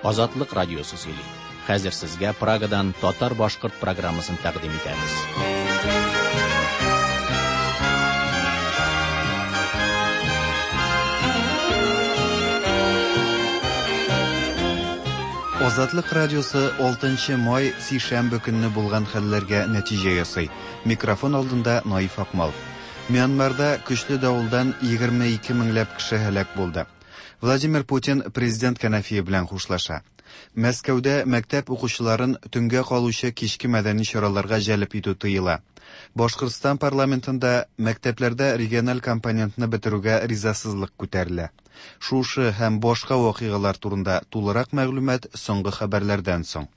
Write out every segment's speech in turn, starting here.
Азатлык радиосы сөйли. Хәзер сезгә Прагадан татар-башкорт программасын тәкъдим итәбез. Азатлык радиосы 6 май сишәмбе көнне булган хәлләргә нәтиҗә ясый. Микрофон алдында Наиф Акмал. Мьянмарда көчле давылдан 22 меңләп кеше һәлак булды. Владимир Путин президент кәнәфие белән хушлаша. Мәскәүдә мәктәп укучыларын төнгә калучы кичке мәдәни чараларга җәлеп итү тыела. Башкортстан парламентында мәктәпләрдә региональ компонентны бетерүгә ризасызлык күтәрелә. Шушы һәм башка вакыйгалар турында тулырак мәгълүмат соңгы хәбәрләрдән соң.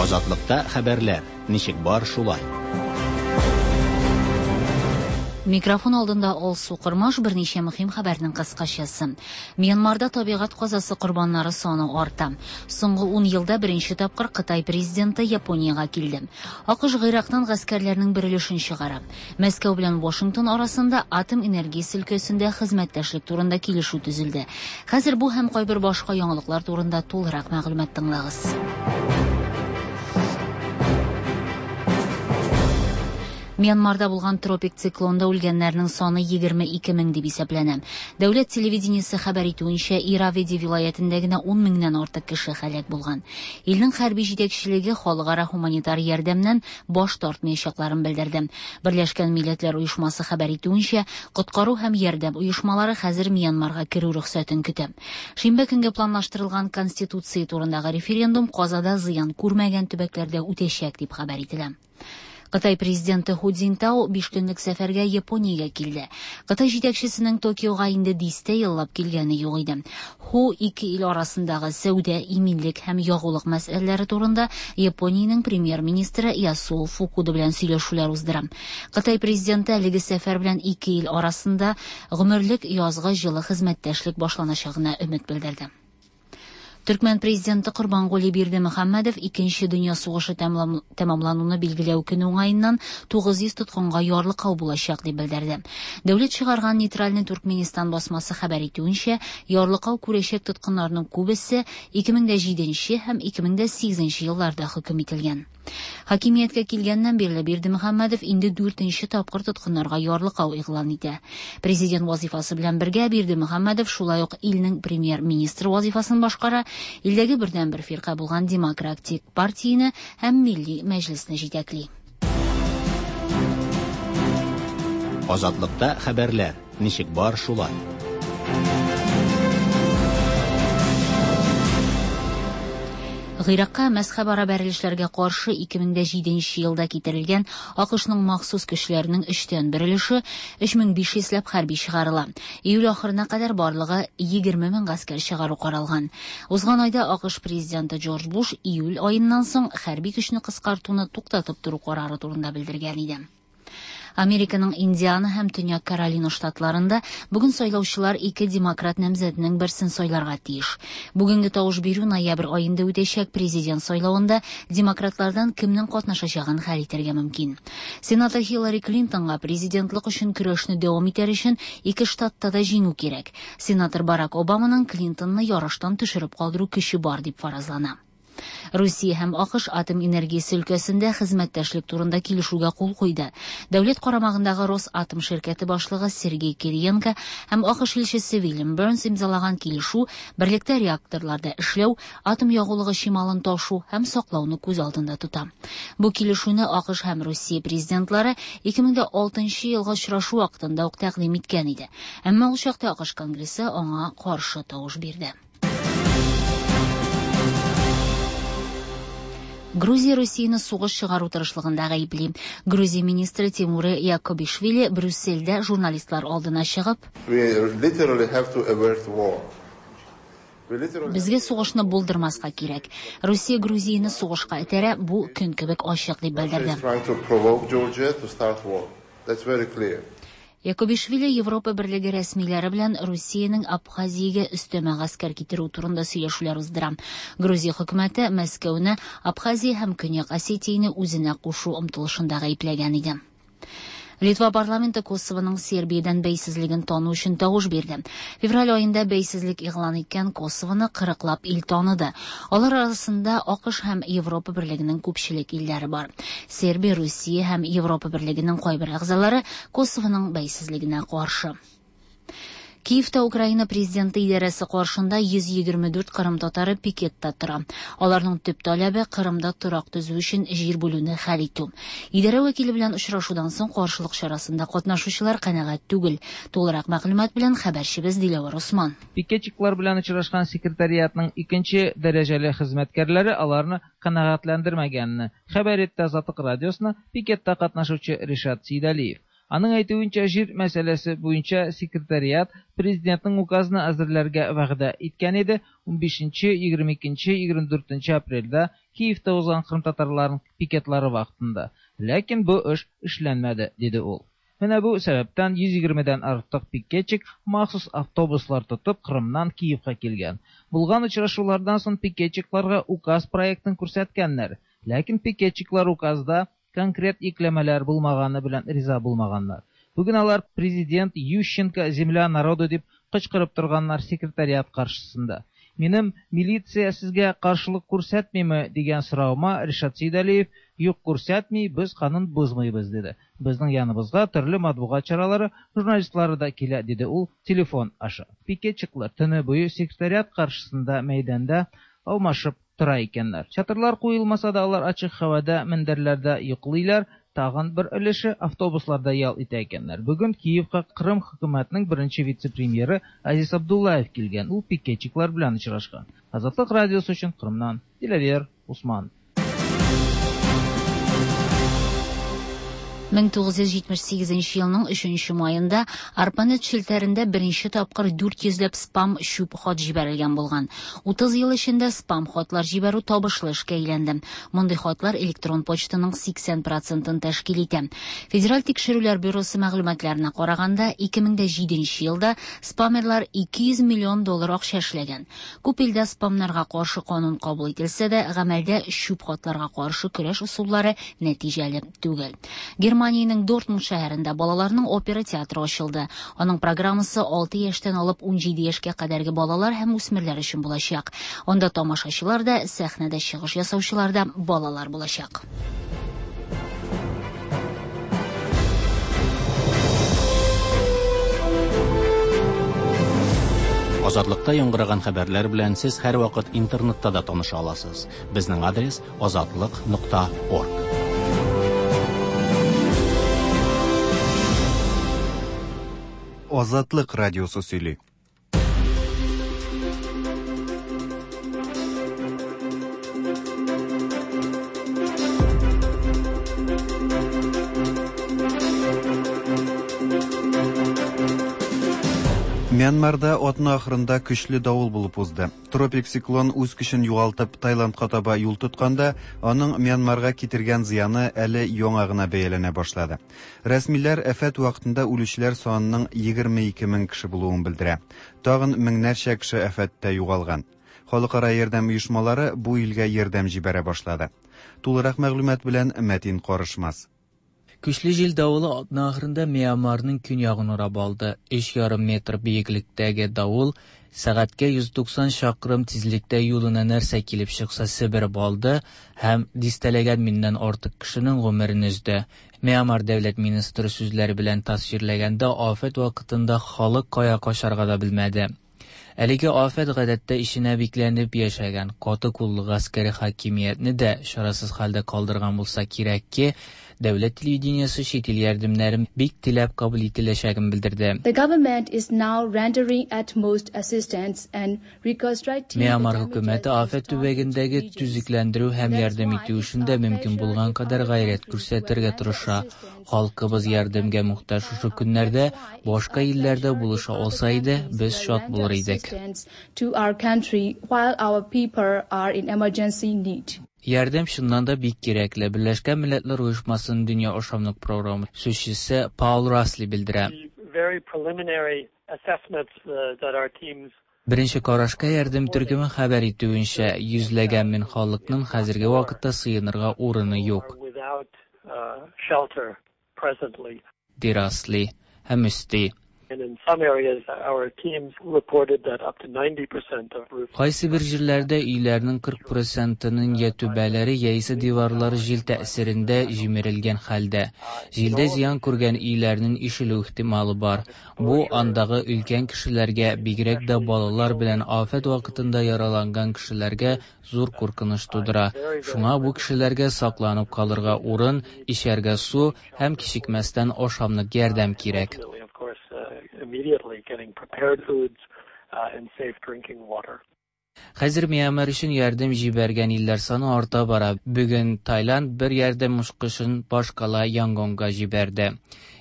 Азатлыкта хәбәрләр, ничек бар шулай. Микрофон алдында Алсу Кормаш, берничә мөһим хәбәрнең кыскачасы. Мьянмарда табигать казасы корбаннары саны арта. Соңгы 10 елда беренче тапкыр Кытай президенты Япониягә килде. АКШ Гыйрактан гаскәрләрнең бер өлешен чыгара. Мәскәү белән Вашингтон арасында атом энергиясе өлкәсендә хезмәттәшлек турында килешү төзелде. Хәзер бу һәм кайбер башка яңалыклар турында тулырак мәгълүмат тыңлагыз. Мьянмарда булган тропик циклонда үлгәннәрнең саны 22 мең дип исәпләнә. Дәүләт телевидениесе хәбәр итүенчә, Ираведи вилаятендә генә 10 меңнән артык кеше һәлак булган. Илнең хәрби җитәкчелеге халыкара һуманитар ярдәмнән баш тартмаячакларын белдерде. Берләшкән Милләтләр Оешмасы хәбәр итүенчә, коткару һәм ярдәм оешмалары хәзер Мьянмарга керү рөхсәтен көтә. Шимбә көнгә планлаштырылган Конституция турындагы референдум казада зыян күрмәгән төбәкләрдә үтәчәк дип хәбәр ителә. Кытай президенты Ху Цзиньтао 5 көнлек сәфәргә Япониягә килде. Кытай җитәкчесенең Токиога инде дистә еллап килгәне юк иде. Ху ике ил арасындагы сәүдә, иминлек һәм ягулык мәсьәләләре турында Япониянең премьер-министры Ясуо Фукуда белән сөйләшүләр уздыра. Кытай президенты әлеге сәфәр белән ике ил арасында гомерлек язгы җылы хезмәттәшлек башланачагына өмет белдерде. Төркмән президенты Корбангули Бердымөхәммәдов икенче дөнья сугышы тәмамлануны билгеләү көне уңаеннан 900 тоткынга ярлыкау булачак дип белдерде. Дәүләт чыгарган нейтральный Туркменистан басмасы хәбәр итүенчә, ярлыкау күрәчәк тоткыннарның күбесе 2007 һәм 2008 елларда хөкем ителгән. Хакимияткә килгәннән бирле Бердымөхәммәдов инде 4нче тапкыр тоткыннарга ярлыкау игълан итә. Президент вазифасы белән бергә Бердымөхәммәдов шулай ук илнең премьер-министры вазифасын башкара, илдәге бердәнбер фирка булган Демократик партияне һәм Милли мәҗлесне җитәкли. Азатлыкта хәбәрләр, ничек бар шулай. Гыйракка мәзхәбара бәрелешләргә каршы 2007 елда китерелгән АКШның махсус көчләренең өчтән бер өлеше 3500 ләп хәрби чыгарыла. Июль ахырына кадәр барлыгы 20 мең гаскәр чыгару каралган. Узган айда АКШ президенты Джордж Буш июль аеннан соң хәрби көчне кыскартуны туктатып тору карары турында белдергән иде. Американың Индиана һәм Төньяк Каролина штатларында бүген сайлаучылар ике демократ намзәтенең берсен сайларга тиеш. Бүгенге тавыш бирү ноябрь аенда үтәчәк президент сайлавында демократлардан кемнең катнашачагын хәл итәргә мөмкин. Сенатор Хиллари Клинтонга президентлык өчен көрәшне дәвам итәр өчен ике штатта да җиңү кирәк. Сенатор Барак Обаманың Клинтонны ярыштан төшереп калдыру көче бар дип фаразлана. Русия һәм АКШ атом энергиясе өлкәсендә хезмәттәшлек турында килешүгә кул куйды. Дәүләт карамагындагы Росатом ширкәте башлыгы Сергей Кириенко һәм АКШ илчесе Вильям Бернс имзалаган килешү берлектә реакторларда эшләү, атом ягулыгы чималын ташу һәм саклауны күз алдында тота. Бу килешүне АКШ һәм Русия президентлары 2006 елгы очрашу вакытында ук тәкъдим иткән иде. Әмма ул чакта АКШ Конгрессы аңа каршы тавыш бирде. Грузия Русияне сугыш чыгару тырышлыгында гаепли. Грузия министры Тимур Якобишвили Брюссельдә журналистлар алдына чыгып, Безгә сугышны булдырмаска кирәк. Русия Грузияне сугышка этәрә, бу көн кебек ачык дип белдерде. Якобишвили Европа Берлеге рәсмиләре белән Русиянең Абхазиягә өстәмә гаскәр китерү турында сөйләшүләр уздыра. Грузия хөкүмәте Мәскәүне Абхазия һәм Көньяк Осетияне үзенә кушу омтылышында гаепләгән иде. Литва парламенты Косовоның Сербиядән бәйсезлеген тану өчен тавыш бирде. Февраль аенда бәйсезлек игълан иткән Косовоны кырыклап ил таныды. Алар арасында АКШ һәм Европа Берлегенең күпчелек илләре бар. Сербия, Русия һәм Европа Берлегенең кайбер әгъзалары Косовоның бәйсезлегенә каршы. Киевта Украина президенты идарәсе каршында 124 кырым татары пикетта тора. Аларның төп таләбе Кырымда торак төзү өчен җир бүлүне хәл итү. Идарә вәкиле белән очрашудан соң каршылык чарасында катнашучылар канәгать түгел. Тулырак мәгълүмат белән хәбәрчебез Диләвәр Усман. Пикетчиклар белән очрашкан секретариатның икенче дәрәҗәле хезмәткәрләре аларны канәгатьләндермәгәнне хәбәр итте Азатлык радиосына пикетта катнашучы Ришат Сейдалиев. Аның әйтүенчә, җир мәсьәләсе буенча секретариат президентның указын әзерләргә вәгъдә иткән иде. 15-нче, 22-нче, 24 апрельдә Киевта узган кырымтатарларның пикетлары вакытында. Ләкин бу эш эшләнмәде, диде ул. Менә бу сәбәптән 120-дән артык пикетчик махсус автобуслар тотып Кырымнан Киевка килгән. Булган очрашулардан соң пикетчикларга указ проектын күрсәткәннәр. Ләкин пикетчиклар указда конкрет йөкләмәләр булмаганы белән риза булмаганнар. Бүген алар президент Ющенко земля народу дип кычкырып торганнар секретариат каршысында. Минем милиция сезгә каршылык күрсәтмиме дигән соравыма Ришат Сейдалиев юк күрсәтми, без канун бозмыйбыз диде. Безнең яныбызга төрле матбугат чаралары, журналистлары да килә, диде ул телефон аша. Пикетчиклар төне буе секретариат каршысында мәйданда алмашып тора икәннәр. Чатырлар куелмаса да алар ачык һавада, мендәрләрдә йоклыйлар, тагын бер өлеше автобусларда ял итә икәннәр. Бүген Киевка Кырым хөкүмәтенең беренче вице-премьеры Азиз Абдуллаев килгән. Ул пикетчиклар белән очрашкан. Азатлык радиосы өчен Кырымнан Диләвер Усман. 1978 елның 3 маенда ARPANET челтәрендә беренче тапкыр 400 ләп спам чүп хат җибәрелгән булган. 30 ел эчендә спам хатлар җибәрү табышлы эшкә әйләнде. Мондый хатлар электрон почтаның 80%-ын тәшкил итә. Федераль тикшерүләр бюросы мәгълүматларына караганда, 2007 елда спамерлар 200 миллион доллар акча эшләгән. Күп илдә спамнарга каршы канун кабул ителсә дә, гамәлдә чүп хатларга каршы көрәш ысуллары нәтиҗәле түгел. Германиянең Дортмунд шәһәрендә балаларның опера театры ачылды. Аның программасы 6 яшьтән алып 17 яшькә кадәрге балалар һәм үсмерләр өчен булачак. Анда тамашачылар да, сәхнәдә чыгыш ясаучылар да балалар булачак. Азатлыкта яңгыраган хәбәрләр белән сез һәрвакыт интернетта да таныша аласыз. Безнең адрес azatliq.org. Азатлык радиосы сөйли. Мьянмарда атна ахырында көчле давыл булып узды. Тропик циклон үз көчен югалтып Таиландка таба юл тотканда, аның Мьянмарга китергән зыяны әле яңа гына бәяләнә башлады. Рәсмиләр афәт вакытында үлүчеләр санының 22 мең кеше булуын белдерә. Тагын меңнәрчә кеше афәттә югалган. Халыкара ярдәм оешмалары бу илгә ярдәм җибәрә башлады. Тулырак мәгълүмат белән Мәтин Карышмас. Көчле җил давылы атна ахырында Мьянмарның көньягын урап алды. 3,5 метр биеклектәге давыл сәгатькә 190 чакрым тизлектә юлына нәрсә килеп чыкса себереп алды һәм дистәләгән меңнән артык кешенең гомерен өзде. Мьянмар дәүләт министры сүзләре белән тасвирләгәндә, афәт вакытында халык кая качарга да белмәде. Әлеге афәт гадәттә эченә бикләнеп яшәгән каты куллы гаскәри хакимиятне дә чарасыз хәлдә калдырган булса кирәк ки, дәүләт телевидениесе чит ил ярдәмнәрен бик теләп кабул ителәчәген белдерде. The government is now rendering utmost assistance and reconstructing Мьянмар хөкүмәте афәт төбәгендәге төзекләндерү һәм ярдәм итү эшендә мөмкин булган кадәр гайрәт күрсәтергә тырыша. Халкыбыз ярдәмгә мохтаҗ шушы көннәрдә башка илләрдә булыша алса иде, без шат булыр идек. To our country while our people are in emergency need. Ярдәм чыннан да бик кирәкле. Берләшкән Милләтләр Оешмасының Дөнья ашамлык программы сүзчесе Паул Расли белдерә. Беренче карашка ярдәм төркеме хәбәр итүенчә, йөзләгән мең халыкның хәзерге вакытта сыенырга урыны юк. ди Расли һәм өсти. Кайсы бер җирләрдә өйләрнең 40 процентының я түбәләре яисә диварлары җил тәэсирендә җимерелгән хәлдә. Җилдә зыян күргән өйләрнең ишелү ихтималы бар. Бу андагы өлкән кешеләргә, бигрәк тә балалар белән афәт вакытында яраланган кешеләргә зур куркыныч тудыра. Шуңа бу кешеләргә сакланып калырга урын, эчәргә су һәм кичекмәстән ашамлык ярдәм кирәк. Хәзер Мьянмар өчен ярдәм җибәргән илләр саны арта бара. Бүген Таиланд бер ярдәм очкычын башкала Янгонга җибәрде.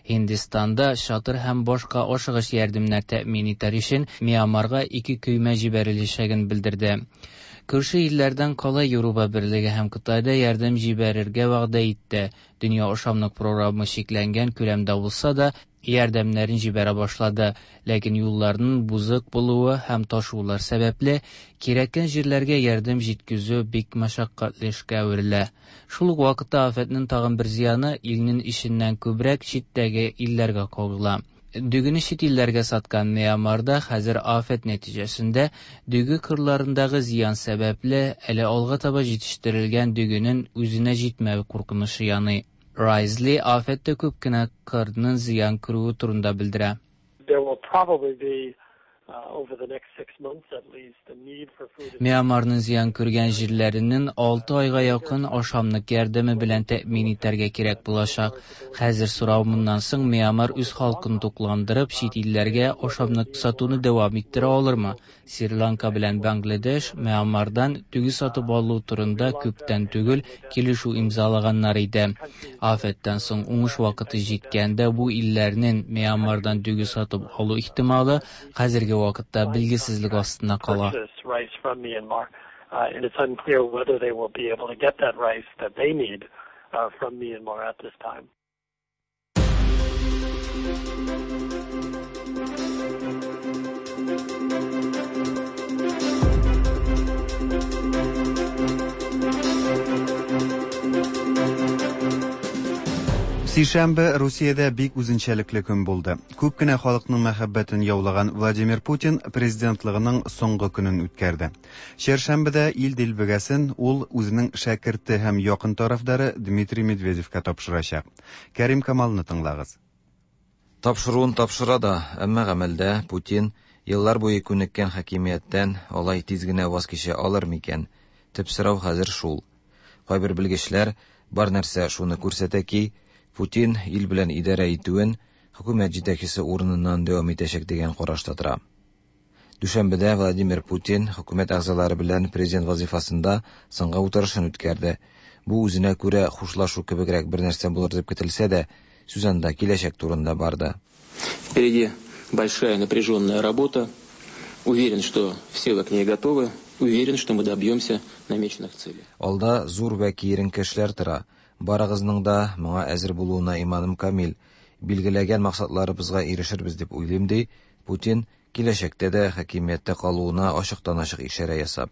Һиндстанда чатыр һәм башка ашыгыч ярдәмнәр тәэмин итәр өчен Мьянмарга ике көймә җибәреләчәген белдерде. Күрше илләрдән кала Европа берлеге һәм Кытай да ярдәм җибәрергә вәгъдә итте. Дөнья ашамлык програмы чикләнгән күләмдә булса да, ярдәмнәрен җибәрә башлады, ләкин юлларның бузык булуы һәм ташулар сәбәпле, кирәккән җирләргә ярдәм җиткезү бик мәшәкатьле эшкә әверелә. Шул ук вакытта афәтнең тагын бер зыяны илнең эченнән күбрәк читтәге илләргә кагыла. Дөгене чит илләргә саткан Мьянмарда хәзер афәт нәтиҗәсендә дөге кырларындагы зыян сәбәпле әле алга таба җитештерелгән дөгенең үзенә җитмәве куркынычы яный. Райзли афәттә күп кенә кырның зыян күрүе турында белдерә. Мьянмарның зыян күргән җирләренең 6 айга якын ашамлык ярдәме белән тәэмин итәргә кирәк булачак. Хәзер сорау моннан соң Мьянмар үз халкын тукландырып, чит илләргә ашамлык сатуны дәвам иттерә алырмы? Шри-Ланка белән Бангладеш Мьянмардан дөге сатып алу турында күптән түгел килешү имзалаганнар иде. Афәттән соң уңыш вакыты җиткәндә бу илләрнең Мьянмардан дөге сатып алу ихтималы хәзерге вакытта билгесезлек астында кала. Сишәмбе Русиядә бик үзенчәлекле көн булды. Күп кенә халыкның мәхәббәтен яулаган Владимир Путин президентлыгының соңгы көнен үткәрде. Чәршәмбедә ил дилбегәсен ул үзенең шәкерте һәм якын тарафдары Дмитрий Медведевка тапшырачак. Кәрим Камалны тыңлагыз. Тапшыруын тапшыра да, әмма гамәлдә Путин еллар буе күнеккән хакимияттән алай тиз генә ваз кичә алыр микән? Төп сорау хәзер шул. Кайбер белгечләр бар нәрсә шуны күрсәтә ки, Путин ил белән идарә итүен хөкүмәт җитәкчесе урыныннан дәвам итәчәк дигән карашта тора. Дүшәмбедә Владимир Путин хөкүмәт әгъзалары белән президент вазифасында соңгы утырышын үткәрде. Бу үзенә күрә хушлашу кебегрәк бер нәрсә булыр дип көтелсә дә, сүз анда киләчәк турында барды. Впереди большая напряженная работа. Уверен, что все вы к ней готовы. Уверен, что мы добьемся намеченных целей. Алда зур вә киеренке эшләр тора. Барыгызның да моңа әзер булуына иманым камил. Билгеләгән максатларыбызга ирешербез дип уйлыйм, ди Путин киләчәктә дә хакимияттә калуына ачыктан-ачык ишарә ясап.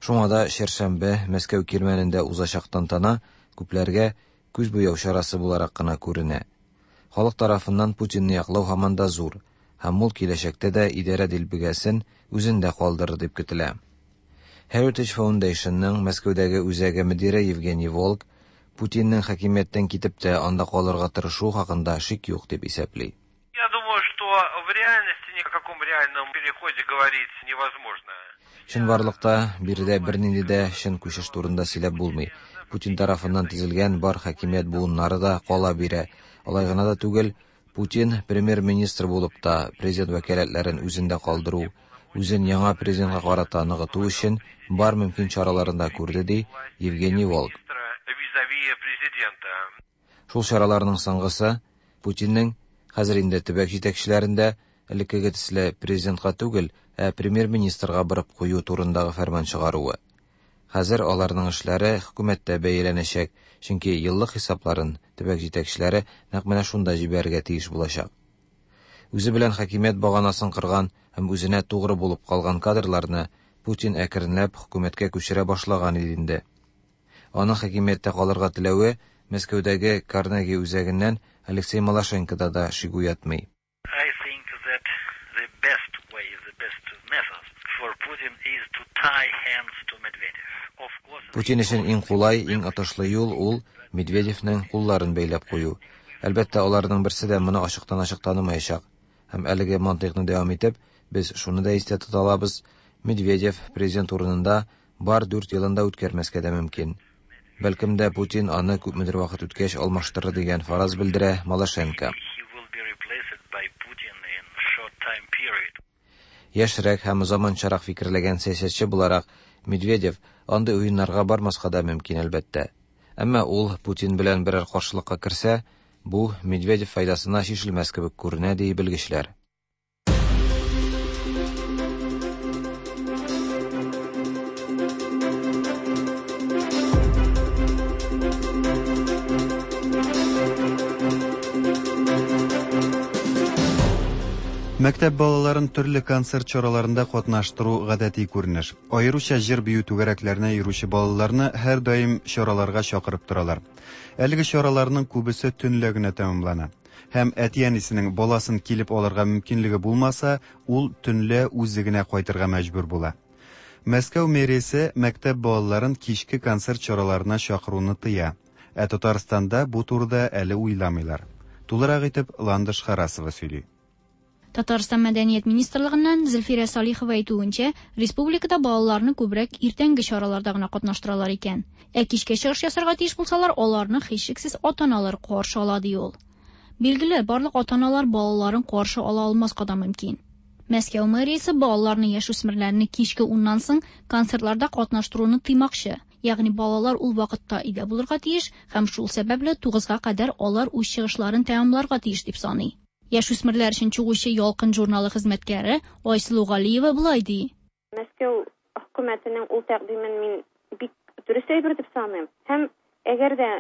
Шуңа да чәршәмбе Мәскәү кирмәнендә узачак тантана күпләргә күз буяу чарасы буларак кына күренә. Халык тарафыннан Путинны яклау һаман да зур, һәм ул киләчәктә дә идарә дилбегәсен үзендә калдырыр дип көтелә. Heritage Foundationның Мәскәүдәге үзәге мөдире Евгений Волк Путинның хакимияттән китеп тә анда калырга тырышу хакында шик юк дип исәпли. Я думаю, что в реальности ни о каком реальном переходе говорить невозможно. Чынбарлыкта биредә бернинди дә чын күчеш турында сөйләп булмый. Путин тарафыннан төзелгән бар хакимият буыннары да кала бирә. Алай гына да түгел, Путин премьер-министр булып та президент вәкаләтләрен үзендә калдыру, үзен яңа президентка карата ныгыту өчен бар мөмкин чараларын да күрде, ди Евгений Волк. Шул чараларның соңгысы Путинның хәзер инде төбәк җитәкчеләрендә элеккеге төсле президентка түгел, ә премьер-министрга барып кую турындагы фәрман чыгаруы. Хәзер аларның эшләре хөкүмәттә бәяләнәчәк, чөнки еллык хисапларын төбәк җитәкчеләре нәкъ менә шунда җибәрергә тиеш булачак. Үзе белән хакимият баганасын кырган һәм үзенә тугры булып калган кадрларны Путин әкренләп хөкүмәткә күчерә башлаган иде инде. Аның хакимияттә калырга теләве Мәскәүдәге Карнеги үзәгеннән Алексей Малашенкода да шик уятмый. I think that the best way, the best method for Putin is to tie hands to Medvedev. Of course, Путин өчен иң кулай, иң отышлы юл ул Медведевнең кулларын бәйләп кую. Әлбәттә, аларның берсе дә моны ачыктан-ачык танымаячак. Һәм әлеге мантыйкны дәвам итеп, без шуны да истә тота алабыз, Медведев президент урынында бар 4 елын да үткәрмәскә дә мөмкин. Бәлкем дә Путин аны күпмедер вакыт үткәч алмаштырыр дигән фараз белдерә Малашенко. he will be replaced by Putin in short time period. Яшьрәк һәм заманчарак фикерләгән сәясәтче буларак, Медведев андый уеннарга бармаска да мөмкин, әлбәттә. Әмма ул Путин белән берәр каршылыкка керсә, бу Медведев файдасына чишелмәс кебек күренә, ди белгечләр. Мәктәп балаларын төрле концерт чараларында катнаштыру гадәти күренеш. Аеруча җыр-бию түгәрәкләренә йөрүче балаларны һәрдаим чараларга чакырып торалар. Әлеге чараларның күбесе төнлә генә тәмамлана. Һәм әти-әнисенең баласын килеп алырга мөмкинлеге булмаса, ул төнлә үзе генә кайтырга мәҗбүр була. Мәскәү мэриясе мәктәп балаларын кичке концерт чараларына чакыруны тыя. Ә Татарстанда бу турыда әле уйламыйлар. Тулырак итеп Ландыш Харасова сөйли. Татарстан Мәдәният министрлыгыннан Зөлфирә Салихова әйтүенчә, республикада балаларны күбрәк иртәнге чараларда гына катнаштыралар икән. Ә кичкә чыгыш ясарга тиеш булсалар, аларны һичшиксез ата-аналар каршы ала, ди ул. Билгеле, барлык ата-аналар балаларын каршы ала алмаска да мөмкин. Мәскәү мэриясе балаларны, яшүсмерләрне кичке 10-нан соң концертларда катнаштыруны тыймакчы. Ягъни балалар ул вакытта өйдә булырга тиеш һәм шул сәбәпле 9-га кадәр алар үз чыгышларын тәмамларга тиеш дип саный. Яшүсмерләр өчен чыгучы Ялкын журналы хезмәткәре Айсылу Галиева болай ди. Мәскәү хөкүмәтенең ул тәкъдимен мин бик дөрес әйбер дип саныйм. Һәм әгәр дә,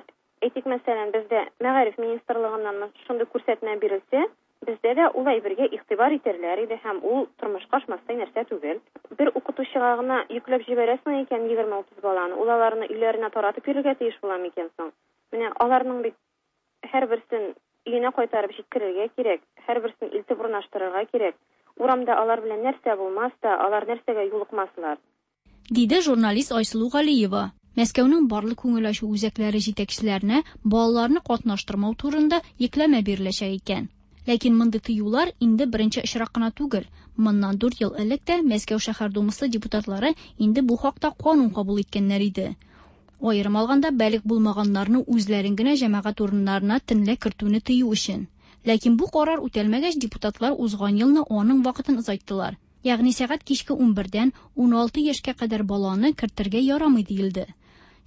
әйтик, мәсәлән, бездә мәгариф министрлыгыннан шундый күрсәтмә бирелсә, бездә дә ул әйбергә игътибар итәрләр иде һәм ул тормышка ашмастай нәрсә түгел. Бер укытучыга гына йөкләп җибәрәсең икән 20-30 баланы, ул аларны өйләренә таратып йөрергә тиеш була микән соң? Менә аларның бит һәрберсен өенә кайтарып җиткерергә кирәк, һәрберсен илтеп урнаштырырга кирәк. Урамда алар белән нәрсә булмас та, алар нәрсәгә юлыкмаслар. Диде журналист Айсылу Галиева. Мәскәүнең барлык күңел ачу үзәкләре җитәкчеләренә балаларны катнаштырмау турында йөкләмә биреләчәк икән. Ләкин мондый тыюлар инде беренче очрак кына түгел. Моннан 4 ел элек тә Мәскәү шәһәр думасы депутатлары инде бу хакта канун кабул иткәннәр иде. Аерым алганда, балигъ булмаганнарны үзләрен генә җәмәгать урыннарына төнлә кертүне тыю өчен. Ләкин бу карар үтәлмәгәч, депутатлар узган елны аның вакытын озайттылар. Ягъни сәгать кичке 11-дән 16 яшькә кадәр баланы кертергә ярамый диелде.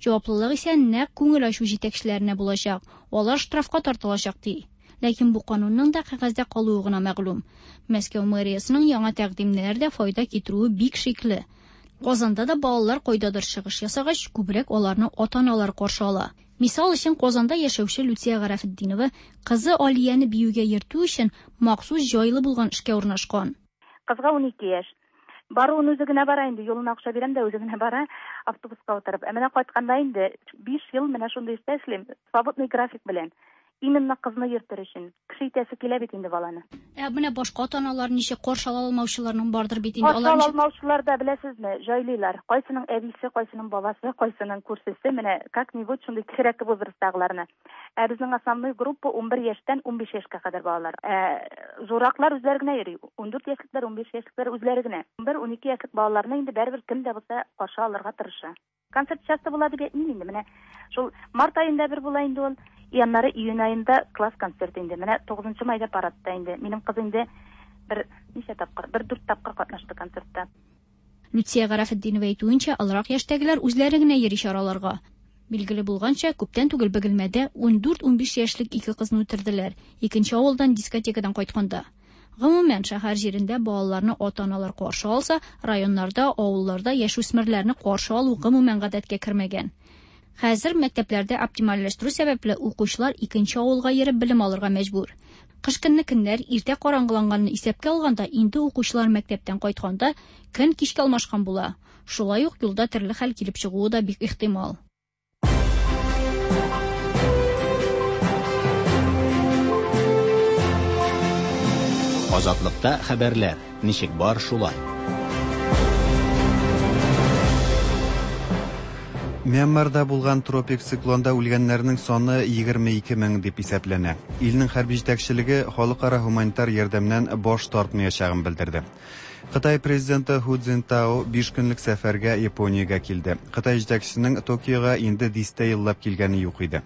Җаваплылык исә нәкъ күңел ачу җитәкчеләренә булачак. Алар штрафка тартылачак ди. Ләкин бу канунның да кәгазьдә калуы гына мәгълүм. Мәскәү мэриясенең яңа тәкъдимнәре дә файда китерүе бик шикле. Казанда да балалар кайдадыр чыгыш ясагач, күбрәк аларны ата-аналар каршы ала. Мисал өчен, Казанда яшәүче Люция Гарәфетдинова кызы Алияне биюгә йөртү өчен махсус җайлы булган эшкә урнашкан. Кызга 12 яшь. Баруын үзе генә бара инде, юлына акча бирәм дә үзе генә бара, автобуска утырып. Ә менә кайтканда инде 5 ел менә шундый эштә эшлим, свободный график белән. Именно кызны йөртер өчен. Кеше итәсе килә бит инде баланы. Ә менә башка ата-аналар ничек каршы ала алмаучыларның бардыр бит инде. Каршы ала алмаучылар да, беләсезме, җайлыйлар. Кайсының әбисе, кайсының бабасы, кайсының күршесе, менә как-нибудь шундый кечерәк возрасттагыларны. Ә безнең основной группа 11 яшьтән 15 яшькә кадәр балалар. Ә зурраклар үзләре генә йөри. 14 яшьлекләр, 15 яшьлекләр үзләре генә. 11-12 яшьлек балаларны инде барыбер кем дә булса каршы алырга тырыша. Концерт часто була дип әйтмим инде. Менә шул март аенда бер була инде ул. И аннары июнь аенда класс концерты инде. Менә 9 майда парадта инде. Минем кыз инде бер ничә тапкыр, бер 4 тапкыр катнашты концертта. Люция Гарәфетдинова әйтүенчә, олырак яшьтәгеләр үзләре генә йөри чараларга. Билгеле булганча, күптән түгел Бөгелмәдә 14-15 яшьлек ике кызны үтерделәр. Икенче авылдан дискотекадан кайтканда. Гомумән, шәһәр җирендә балаларны ата-аналар каршы алса, районнарда, авылларда яшүсмерләрне каршы алу гомумән гадәткә кермәгән. Хәзер мәктәпләрдә оптимальләштерү сәбәпле укучылар икенче авылга йөреп белем алырга мәҗбүр. Кыш көнне көннәр иртә караңгыланганны исәпкә алганда, инде укучылар мәктәптән кайтканда көн кичкә алмашкан була. Шулай ук юлда төрле хәл килеп чыгуы да бик ихтимал. Азатлыкта хәбәрләр ничек бар шулай. Мьянмарда булган тропик циклонда үлгәннәрнең саны 22 мең дип исәпләнә. Илнең хәрби җитәкчелеге халыкара һуманитар ярдәмнән баш тартмаячагын белдерде. Кытай президенты Ху Цзинтао 5 көнлек сәфәргә Япониягә килде. Кытай җитәкчесенең Токиога инде дистә еллап килгәне юк иде.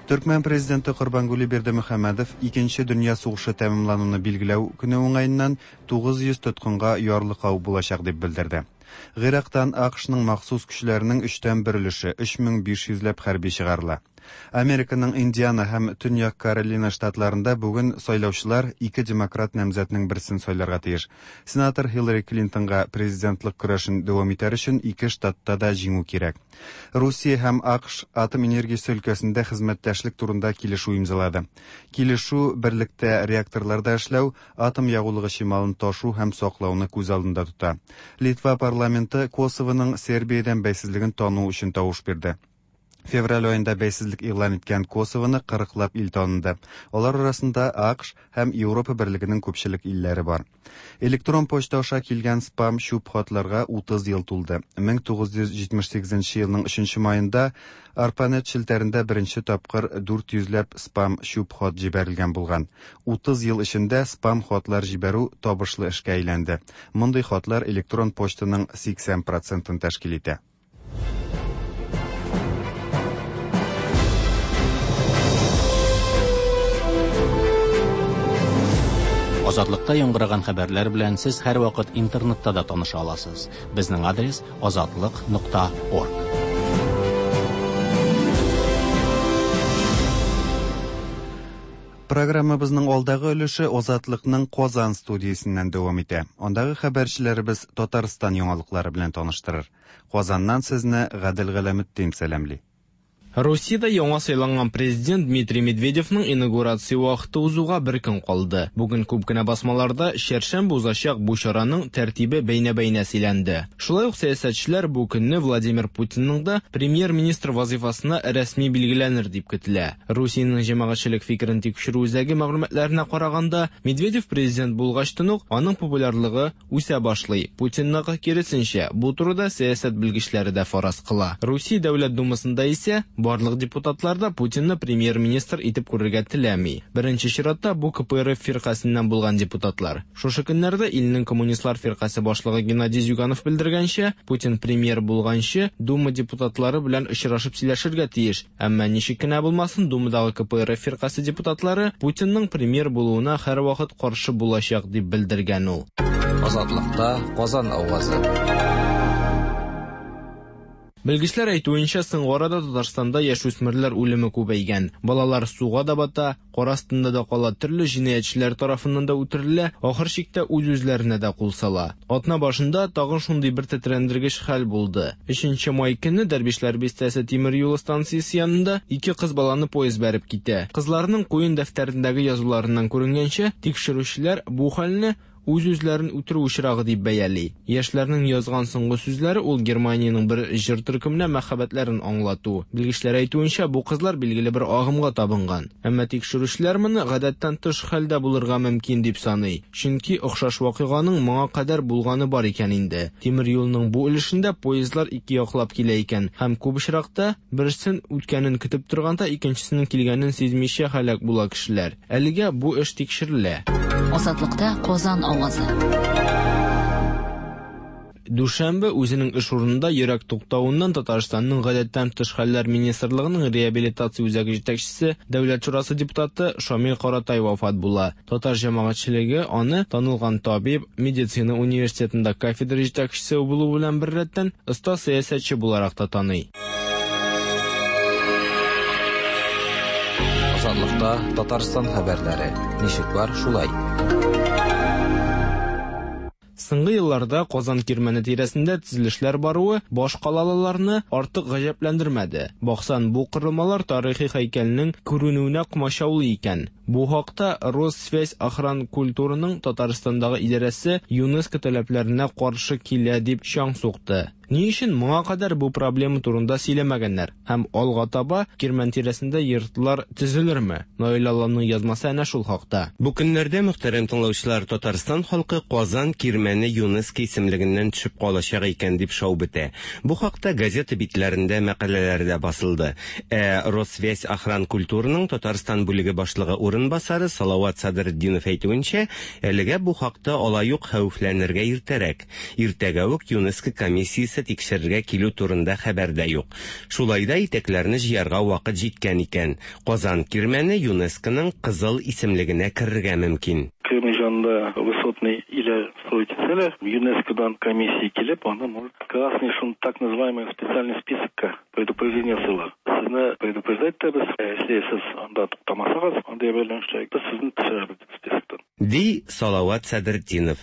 Төркмән президенты Корбангули Бердымөхәммәдов Икенче дөнья сугышы тәмамлануны билгеләү көне уңаеннан 900 тоткынга ярлыкау булачак дип белдерде. Гыйрактан АКШның махсус көчләренең өчтән бер өлеше, 3500 ләп хәрби чыгарыла. Американың Индиана һәм Төньяк Каролина штатларында бүген сайлаучылар ике демократ намзәтнең берсен сайларга тиеш. Сенатор Хиллари Клинтонга президентлык көрәшен дәвам итәр өчен ике штатта да җиңү кирәк. Русия һәм АКШ атом энергиясе өлкәсендә хезмәттәшлек турында килешү имзалады. Килешү берлектә реакторларда эшләү, атом ягулыгы чималын ташу һәм саклауны күз алдында тота. Литва парламенты Косовоның Сербиядән бәйсезлеген тану өчен тавыш бирде. Февраль аенда бәйсезлек игълан иткән Косовоны 40лап ил таныды. Алар арасында АКШ һәм Европа берлегенең күпчелек илләре бар. Электрон почта аша килгән спам чүп хатларга 30 ел тулды. 1978 елның 3 маенда ARPANET челтәрендә беренче тапкыр 400 ләп спам чүп хат җибәрелгән булган. 30 ел эчендә спам хатлар җибәрү табышлы эшкә әйләнде. Мондый хатлар электрон почтаның 80%-ын тәшкил итә. Азатлыкта яңгыраган хәбәрләр белән сез һәрвакыт интернетта да таныша аласыз. Безнең адрес azatliq.org. Программабызның алдагы өлеше Азатлыкның Казан студиясеннән дәвам итә. Андагы хәбәрчеләребез Татарстан яңалыклары белән таныштырыр. Казаннан сезне Гадел Галәметдин сәламли. Русиядә яңа сайланган президент Дмитрий Медведевның инаугурация вакыты узуга бер көн калды. Бүген күп кенә басмаларда чәршәмбе узачак бу чараның тәртибе бәйнә-бәйнә сөйләнде. Шулай ук сәясәтчеләр бу көнне Владимир Путинның да премьер-министр вазифасына рәсми билгеләнер дип көтелә. Русиянең җәмәгатьчелек фикерен тикшерү үзәге мәгълүматларына караганда, Медведев президент булгачтан ук аның популярлыгы үсә башлый. Путинныкы киресенчә, бу турыда сәясәт белгечләре дә фараз кыла. Русия Дәүләт Думасында исә барлык депутатлар да Путинны премьер-министр итеп күрергә теләми. Беренче чиратта бу КПРФ фиркасеннән булган депутатлар. Шушы көннәрдә илнең коммунистлар фиркасе башлыгы Геннадий Зюганов белдергәнчә, Путин премьер булганчы Дума депутатлары белән очрашып сөйләшергә тиеш. Әмма ничек кенә булмасын, Думадагы КПРФ фиркасе депутатлары Путинның премьер булуына һәрвакыт каршы булачак дип белдергән ул. Азатлыкта Казан авазы. Белгечләр әйтүенчә, соңгы арада Татарстанда яшүсмерләр үлеме күбәйгән. Балалар суга да бата, кар астында да кала, төрле җинаятьчеләр тарафыннан да үтерелә, ахыр чиктә үз-үзләренә дә кул сала. Атна башында тагын шундый бер тетрәндергеч хәл булды. 3 май көнне Дәрвишләр бистәсе тимер юлы станциясе янында ике кыз баланы поезд бәреп китә. Кызларның куен дәфтәрендәге язуларыннан күренгәнчә, тикшерүчеләр бу хәлне үз-үзләрен үтерү очрагы дип бәяли. Яшьләрнең язган соңгы сүзләре ул Германиянең бер җыр төркеменә мәхәббәтләрен аңлату. Белгечләр әйтүенчә, бу кызлар билгеле бер агымга табынган. Әмма тикшерүчеләр моны гадәттән тыш хәлдә булырга мөмкин дип саный. Чөнки охшаш вакыйганың моңа кадәр булганы бар икән инде. Тимер юлның бу өлешендә поездлар ике яклап килә икән һәм күп очракта берсен үткәнен көтеп торганда икенчесенең килгәнен сизмичә һәлак була кешеләр. Әлегә бу эш тикшерелә. Азатлыкта Казан авазы. Дүшәмбе үзенең эш урынында йөрәк туктавыннан Татарстанның гадәттән тыш хәлләр министрлыгының реабилитация үзәге җитәкчесе, Дәүләт шурасы депутаты Шамил Каратай вафат була. Татар җәмәгатьчелеге аны танылган табиб, медицина университетында кафедра җитәкчесе булу белән беррәттән оста сәясәтче буларак та таный. Азатлыкта Татарстан хәбәрләре. Ничек бар, шулай. Соңгы елларда Казан кирмәне тирәсендә төзелешләр баруы баш калалыларны артык гаҗәпләндермәде. Баксан, бу корылмалар тарихи һәйкәлнең күренүенә комачаулый икән. Бу хакта Россвязьохранкультураның Татарстандагы идарәсе ЮНЕСКО таләпләренә каршы килә дип чаң сукты. Ни өчен моңа кадәр бу проблема турында сөйләмәгәннәр? Һәм алга таба Кирмән тирәсендә йортлар төзелерме? Наил Алланың язмасы әнә шул хакта. Бу көннәрдә, мөхтәрәм тыңлаучылар, Татарстан халкы Казан Кирмәне ЮНЕСКО исемлегеннән төшеп калачак икән дип шау бетә. Бу хакта газета битләрендә мәкаләләр дә басылды. Ә Россвязьохранкультураның Татарстан бүлеге башлыгы урынбасары Салават Садретдинов әйтүенчә, әлегә бу хакта алай ук хәвефләнергә иртәрәк. Иртәгә үк ЮНЕСКО комиссиясе тикшерергә килү турында хәбәр дә юк. Шулай да итәкләрне җыярга вакыт җиткән икән. Казан Кирмәне ЮНЕСКОның кызыл исемлегенә керергә мөмкин. Кремль янында высотный өйләр строить итсәләр, ЮНЕСКОдан комиссия килеп, аны может красный, шул так называемый специальный списокка предупреждение ясыйлар. Сезне предупреждать итәбез, если сез анда туктамасагыз, андый әйберләрне эшләгез, без сезне төшерәбез дип списоктан. Ди Салават Садретдинов.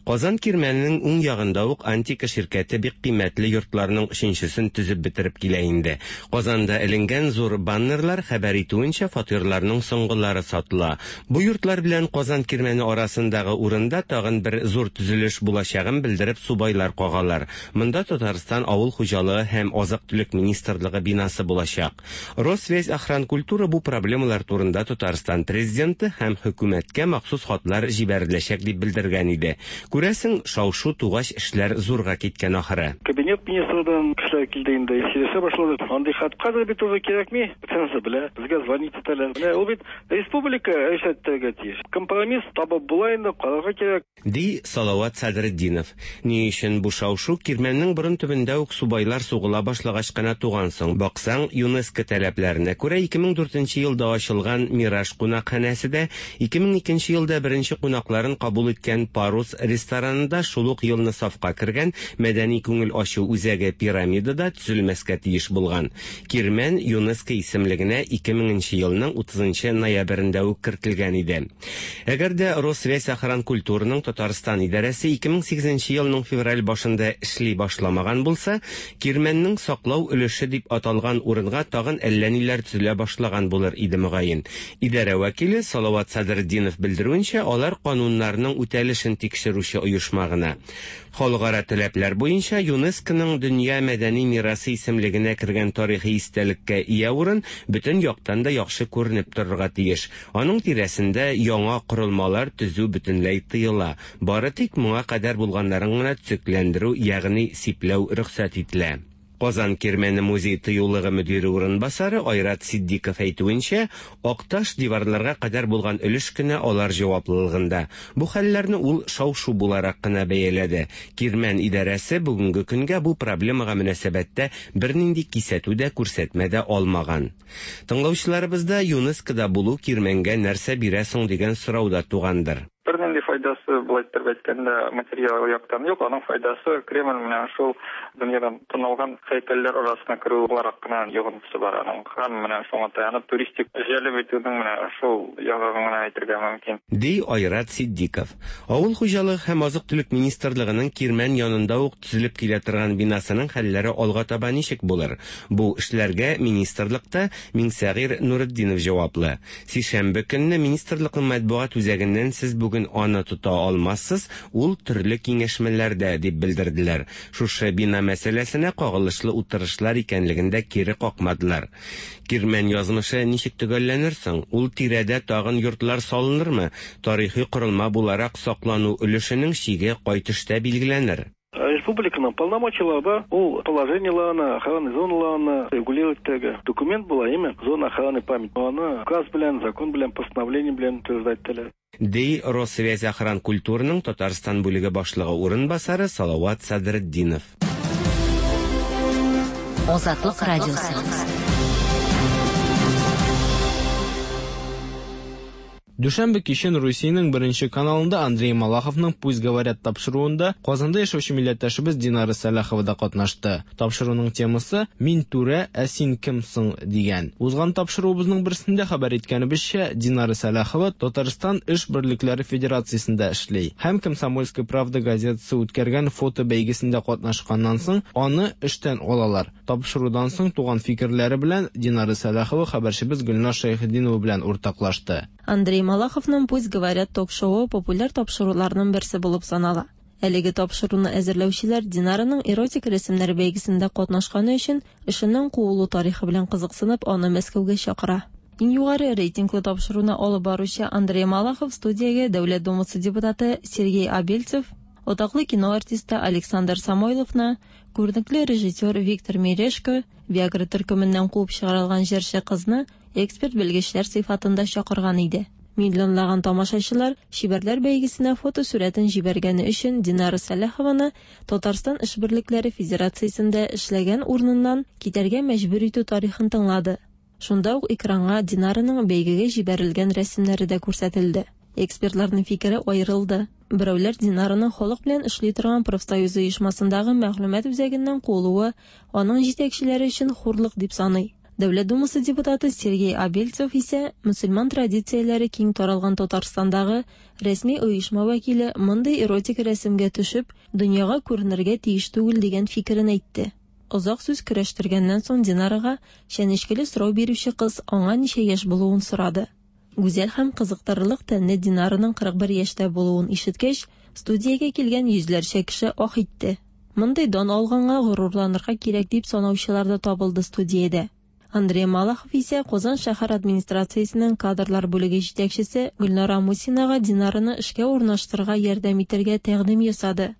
Казан Кирмәненең уң ягында ук Антика ширкәте бик кыйммәтле йортларның өченчесен төзеп бетереп килә инде. Казанда эленгән зур баннерлар хәбәр итүенчә, фатирларның соңгылары сатыла. Бу йортлар белән Казан Кирмәне арасындагы урында тагын бер зур төзелеш булачагын белдереп субайлар кагалар. Монда Татарстан авыл хуҗалыгы һәм азык-төлек министрлыгы бинасы булачак. Россвязьохранкультура бу проблемалар турында Татарстан президенты һәм хөкүмәткә махсус хатлар җибәреләчәк дип белдергән иде. Күрәсең, шау-шу тугач эшләр зурга киткән ахыры. Кабинет министрдан кешеләр килде инде, сөйләшә башладык. Андый хат хәзер бит уже кирәкми. Бөтенесе белә, безгә звонить итәләр. Менә ул бит республика решать итәргә тиеш. Компромисс табып була инде, карарга кирәк. Ди Салават Садретдинов. Ни өчен бу шау-шу Кирмәннең борын төбендә үк субайлар сугыла башлагач кына туган соң? Баксаң, ЮНЕСКО таләпләренә күрә 2004 елда ачылган Мираж кунакханәсе дә, 2002 елда беренче кунакларын кабул иткән Парус рестораны да шул ук елны сафка кергән мәдәни күңел ачу үзәге Пирамида да төзелмәскә тиеш булган. Кирмән ЮНЕСКО исемлегенә 2000 елның 30 ноябрендә үк кертелгән иде. Әгәр дә Россвязьохранкультураның Татарстан идарәсе 2008 елның февраль башында эшли башламаган булса, Кирмәннең саклау өлеше дип аталган урынга тагын әллә ниләр төзелә башлаган булыр иде мөгаен. Идарә вәкиле Салават Садретдинов белдерүенчә, алар кануннарның үтәлешен тикшерүче оешма гына. Халыкара таләпләр буенча ЮНЕСКОның дөнья мәдәни мирасы исемлегенә кергән тарихи истәлеккә ия урын бөтен яктан да яхшы күренеп торырга тиеш. Аның тирәсендә яңа корылмалар төзү бөтенләй тыела. Бары тик моңа кадәр булганнарын гына төзекләндерү, ягъни сипләү рөхсәт ителә. Казан Кирмәне музей тыюлыгы мөдире урынбасары Айрат Сиддиков әйтүенчә, Акташ диварларга кадәр булган өлеш кенә алар җаваплылыгында. Бу хәлләрне ул шау-шу буларак кына бәяләде. Кирмән идарәсе бүгенге көнгә бу проблемага мөнәсәбәттә бернинди кисәтү дә, күрсәтмә дә алмаган. Тыңлаучыларыбызда ЮНЕСКОда булу Кирмәнгә нәрсә бирә соң дигән сорау да тугандыр. Бернинди файдасы, былай итеп әйткәндә, материал яктан юк. Аның файдасы Кремль менә шул дөньядан танылган һәйкәлләр арасына керү буларак кына йогынтысы бар аның. Һәм менә шуңа таянып туристик җәлеп итүнең менә шул ягы гына әйтергә мөмкин. Ди Айрат Сиддиков. Авыл хуҗалыгы һәм азык-төлек министрлыгының Кирмән янында ук төзелеп килә торган бинасының хәлләре алга таба ничек булыр? Бу эшләргә министрлыкта Миңсәгыйр Нуретдинов җаваплы. Сишәмбе көнне министрлыкның матбугат үзәгеннән сез бүген аны тота алмассыз, ул төрле киңәшмәләрдә дип белдерделәр. Шушы бина мәсьәләсенә кагылышлы утырышлар икәнлеген дә кире какмадылар. Кирмән язмышы ничек төгәлләнер соң? Ул тирәдә тагын йортлар салынырмы? Тарихи корылма буларак саклану өлешенең чиге кай төштә билгеләнер? Республиканың полномочиялары бар, ул положениеларны, охранный зоналарны регулировать итәргә. Документ була, әйме? Зона охраны память. Аны указ белән, закон белән, постановление белән утверждать ителә. Ди Россвязьохранкультураның Татарстан бүлеге башлыгы урынбасары Салават Садретдинов. Азатлык радиосы. Дүшәмбе кичен Русиянең беренче каналында Андрей Малаховның Пусть говорят тапшыруында Казанда яшәүче милләттәшебез Динара Сәлахова да катнашты. Тапшыруның темасы Мин түрә, ә син кем соң дигән. Узган тапшыруыбызның берсендә хәбәр иткәнебезчә, Динара Сәлахова Татарстан эш берлекләре федерациясендә эшли һәм Комсомольская правда газетасы үткәргән фото бәйгесендә катнашканнан соң аны эштән алалар. Тапшырудан соң туган фикерләре белән Динара Сәлахова хәбәрчебез Гөлназ Шәйхетдинова белән уртаклашты. Андрей Малаховның Пусть говорят ток-шоуы популяр тапшыруларның берсе булып санала. Әлеге тапшыруны әзерләүчеләр Динараның эротик рәсемнәр бәйгесендә катнашканы өчен эшеннән куылу тарихы белән кызыксынып, аны Мәскәүгә чакыра. Иң югары рейтинглы тапшыруны алып баручы Андрей Малахов студиягә Дәүләт Думасы депутаты Сергей Абельцев, атаклы кино артисты Александр Самойловны, күренекле режиссер Виктор Мережко, Виагра төркеменнән куып чыгарылган җырчы кызны эксперт белгечләр сыйфатында чакырган иде. Миллионлаган тамашачылар Чибәрләр бәйгесенә фотосурәтен җибәргәне өчен Динара Сәлахованы Татарстан эш берлекләре федерациясендә эшләгән урыныннан китәргә мәҗбүр итү тарихын тыңлады. Шунда ук экранга Динараның бәйгегә җибәрелгән рәсемнәре дә күрсәтелде. Экспертларның фикере аерылды. Берәүләр Динараның халык белән эшли торган профсоюз оешмасындагы мәгълүмат үзәгеннән куылуы аның җитәкчеләре өчен хурлык дип саный. Дәүләт Думасы депутаты Сергей Абельцев исә мөселман традицияләре киң таралган Татарстандагы рәсми оешма вәкиле мондый эротик рәсемгә төшеп, дөньяга күренергә тиеш түгел дигән фикерен әйтте. Озак сүз көрәштергәннән соң Динарага чәнечкеле сорау бирүче кыз аңа ничә яшь булуын сорады. Гүзәл һәм кызыктырырлык тәнле Динараның 41 яшьтә булуын ишеткәч, студиягә килгән йөзләрчә кеше ах итте. Мондый дан алганга горурланырга кирәк дип санаучылар да табылды студиядә. Андрей Малахов исә Казан шәһәр администрациясенең кадрлар бүлеге җитәкчесе Гөлнара Мусинага Динараны эшкә урнаштырырга ярдәм итәргә тәкъдим ясады.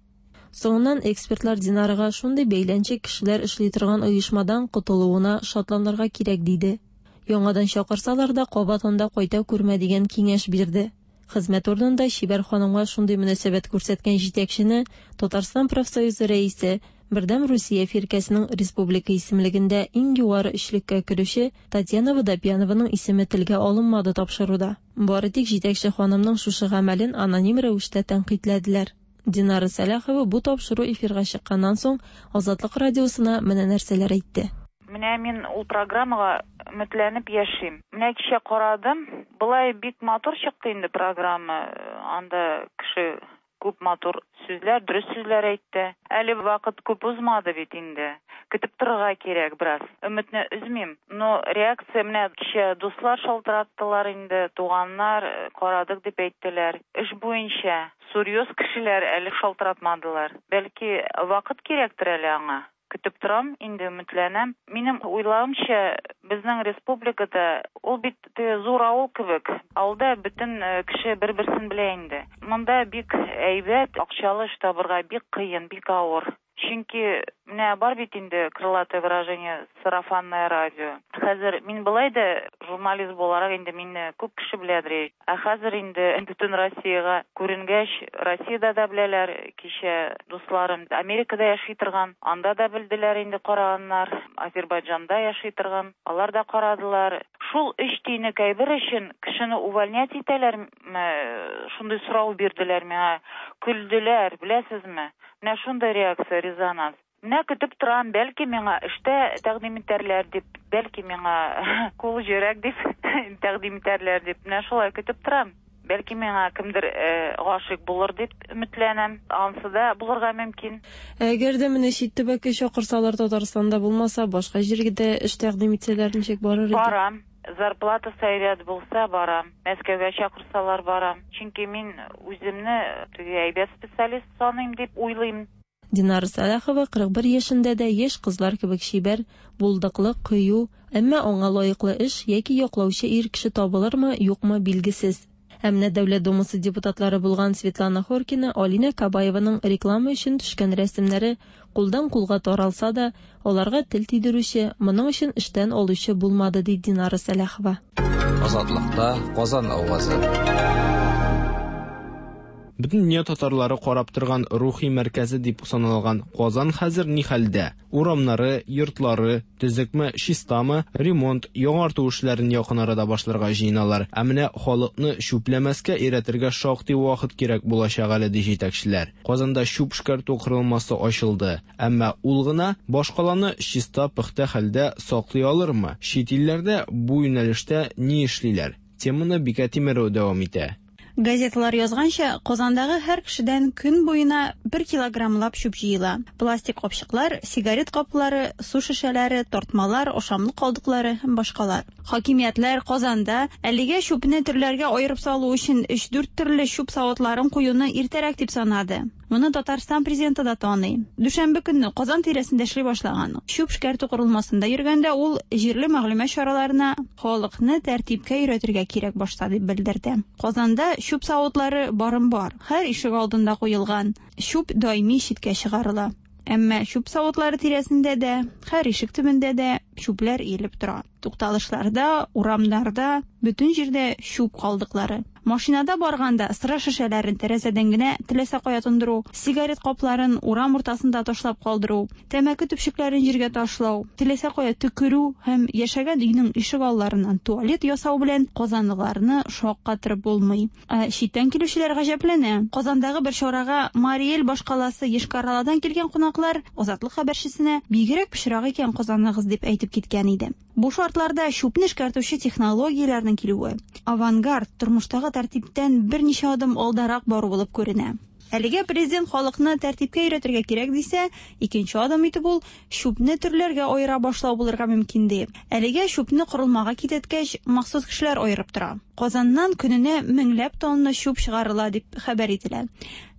Соңыннан экспертлар Динарага шундый бәйләнчек кешеләр эшли торган оешмадан котылуына шатланырга кирәк диде. Яңадан чакырсалар да кабат анда кайта күрмә дигән киңәш бирде. Хезмәт урынында чибәр ханымга шундый мөнәсәбәт күрсәткән җитәкчене Татарстан профсоюзы рәисе, Бердәм Русия фиркәсенең республика исемлегендә иң югары өчлеккә керүче Татьяна Водопьянованың исеме телгә алынмады тапшыруда. Бары тик җитәкче ханымның шушы гамәлен аноним рәвештә тәнкыйтьләделәр. Динара Сәлахова бу тапшыру эфирга чыкканнан соң Азатлык радиосына менә нәрсәләр әйтте. Менә мин ул программага өметләнеп яшим. Менә кичә карадым, болай бик матур чыкты инде программа. Анда кеше күп матур сүзләр, дөрес сүзләр әйтте. Әле вакыт күп узмады бит инде. Көтеп торырга кирәк бераз. Өметне өзмим. Но реакция менә кичә дуслар шалтыраттылар инде, туганнар карадык дип әйттеләр. Эш буенча серьез кешеләр әле шалтыратмадылар. Бәлки вакыт кирәктер әле аңа. Көтеп торам, инде өметләнәм. Минем уйлавымча, безнең республикада ул бит зур авыл кебек. Авылда бөтен кеше бер-берсен белә инде. Монда бик әйбәт, акчалы эш табырга бик кыен, бик авыр. Чөнки менә бар бит инде крылатое выражение сарафанное радио. Хәзер мин болай да журналист буларак инде мине күп кеше беләдер. Ә хәзер инде бөтен Россиягә күренгәч, Россиядә дә беләләр, кичә дусларым Америкада яши торган, анда да белделәр инде караганнар, Азербайджанда яши торган, алар да карадылар. Шул өч тиенлек әйбер өчен кешене увольнять итәләрме? Шундый сорау бирделәр миңа. Көлделәр, беләсезме? Менә шундый реакция, резонанс. Менә көтеп торам, бәлки миңа эштә тәкъдим итәрләр дип, бәлки миңа кул җөрәк дип тәкъдим итәрләр дип. Менә шулай көтеп торам. Бәлки миңа кемдер гашыйк булыр дип өметләнәм. Ансы да булырга мөмкин. Әгәр дә менә чит төбәккә чакырсалар, Татарстанда булмаса, башка җиргә дә эш тәкъдим итсәләр, ничек барыр иде? Барам. Зарплатасы әйбәт булса, барам. Мәскәүгә чакырсалар, барам. Чөнки мин үземне теге әйбәт специалист саныйм дип уйлыйм. Динара Сәлахова 41 яшендә дә яшь кызлар кебек чибәр, булдыклы, кыю, әмма аңа лаеклы эш яки яклаучы ир кеше табылырмы, юкмы, билгесез. Ә менә Дәүләт Думасы депутатлары булган Светлана Хоркина, Алинә Кабаеваның реклама өчен төшкән рәсемнәре кулдан-кулга таралса да, аларга тел тидерүче, моның өчен эштән алучы булмады, ди Динара Сәлахова. Азатлыкта Казан авазы. Бөтен дөнья татарлары карап торган рухи мәркәзе дип саналган Казан хәзер ни хәлдә? Урамнары, йортлары төзекме, чистамы? Ремонт, яңарту эшләрен якын арада башларга җыеналар. Ә менә халыкны чүпләмәскә өйрәтергә шактый вакыт кирәк булачак әле, ди җитәкчеләр. Казанда чүп эшкәртү корылмасы ачылды. Әмма ул гына башкаланы чиста-пөхтә хәлдә саклый алырмы? Чит илләрдә бу юнәлештә ни эшлиләр? Теманы Бикә Тимерова дәвам итә. Газеталар язганча, Казандагы һәр кешедән көн буена 1 килограммлап чүп җыела. Пластик капчыклар, сигарет каплары, су шешәләре, тартмалар, ашамлык калдыклары һәм башкалар. Хакимиятләр Казанда әлегә чүпне төрләргә аерып салу өчен 3-4 төрле чүп савытларын куюны иртәрәк дип санады. Моны Татарстан президенты да таный. Дүшәмбе көнне Казан тирәсендә эшли башлаган. Чүп эшкәртү корылмасында йөргәндә ул җирле мәгълүмат чараларына халыкны тәртипкә өйрәтергә кирәк башта дип белдерде. Казанда чүп савытлары барым бар. Һәр ишек алдында куелган. Чүп даими читкә чыгарыла. Әмма чүп савытлары тирәсендә дә, һәр ишек төбендә дә чүпләр иелеп тора. Тукталышларда, урамнарда, бөтен җирдә чүп калдыклары. Машинада барганда сыра шешәләрен тәрәзәдән генә теләсә кая тондыру, сигарет капларын урам уртасында ташлап калдыру, тәмәке төпчекләрен җиргә ташлау, теләсә кая төкерү һәм яшәгән өйнең ишек алларыннан туалет ясау белән казанлыларны шаккатырып булмый. Ә читтән килүчеләр гаҗәпләнә. Казандагы бер чарага Мари Эл башкаласы Йошкар-Оладан килгән кунаклар Азатлык хәбәрчесенә бигрәк пычрак икән Казаныгыз дип әйтеп киткән иде. Бу шартларда чүпне эшкәртүче технологияләрнең килүе авангард, тормыштагы тәртиптән берничә адым алдарак бару булып күренә. Әлегә президент халыкны тәртипкә өйрәтергә кирәк дисә, икенче адым итеп ул чүпне төрләргә аера башлау булырга мөмкин ди. Әлегә чүпне корылмага китерткәч, махсус кешеләр аерып тора. Казаннан көненә меңләп тонна чүп чыгарыла дип хәбәр ителә.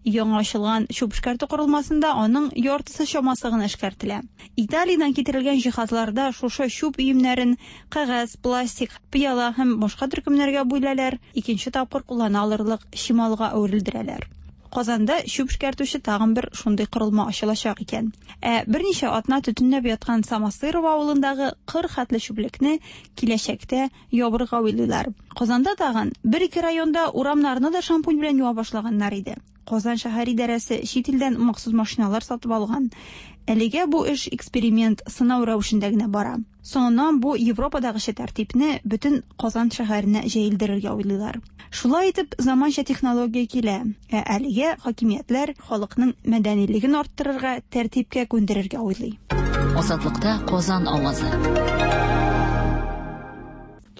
Яңа ачылган чүп эшкәртү корылмасында аның яртысы чамасы гына эшкәртелә. Италиядән китерелгән җиһазларда шушы чүп өемнәрен кәгазь, пластик, пыяла һәм башка төркемнәргә бүләләр, икенче тапкыр куллана алырлык чималга әверелдерәләр. Казанда чүп эшкәртүче тагын бер шундый корылма ачылачак икән. Ә берничә атна төтенләп яткан Самосырово авылындагы кыр хәтле чүплекне киләчәктә ябырга уйлыйлар. Казанда тагын бер-ике районда урамнарны да шампунь белән юа башлаганнар иде. Казан шәһәр идарәсе чит илдән махсус машиналар сатып алган. Әлегә бу эш эксперимент, сынау рәвешендә генә бара. Соңыннан бу Европадагыча тәртипне бөтен Казан шәһәренә җәелдерергә уйлыйлар. Шулай итеп, заманча технология килә, ә әлегә хакимиятләр халыкның мәдәнилеген арттырырга, тәртипкә күндерергә уйлый. Азатлыкта Казан авазы.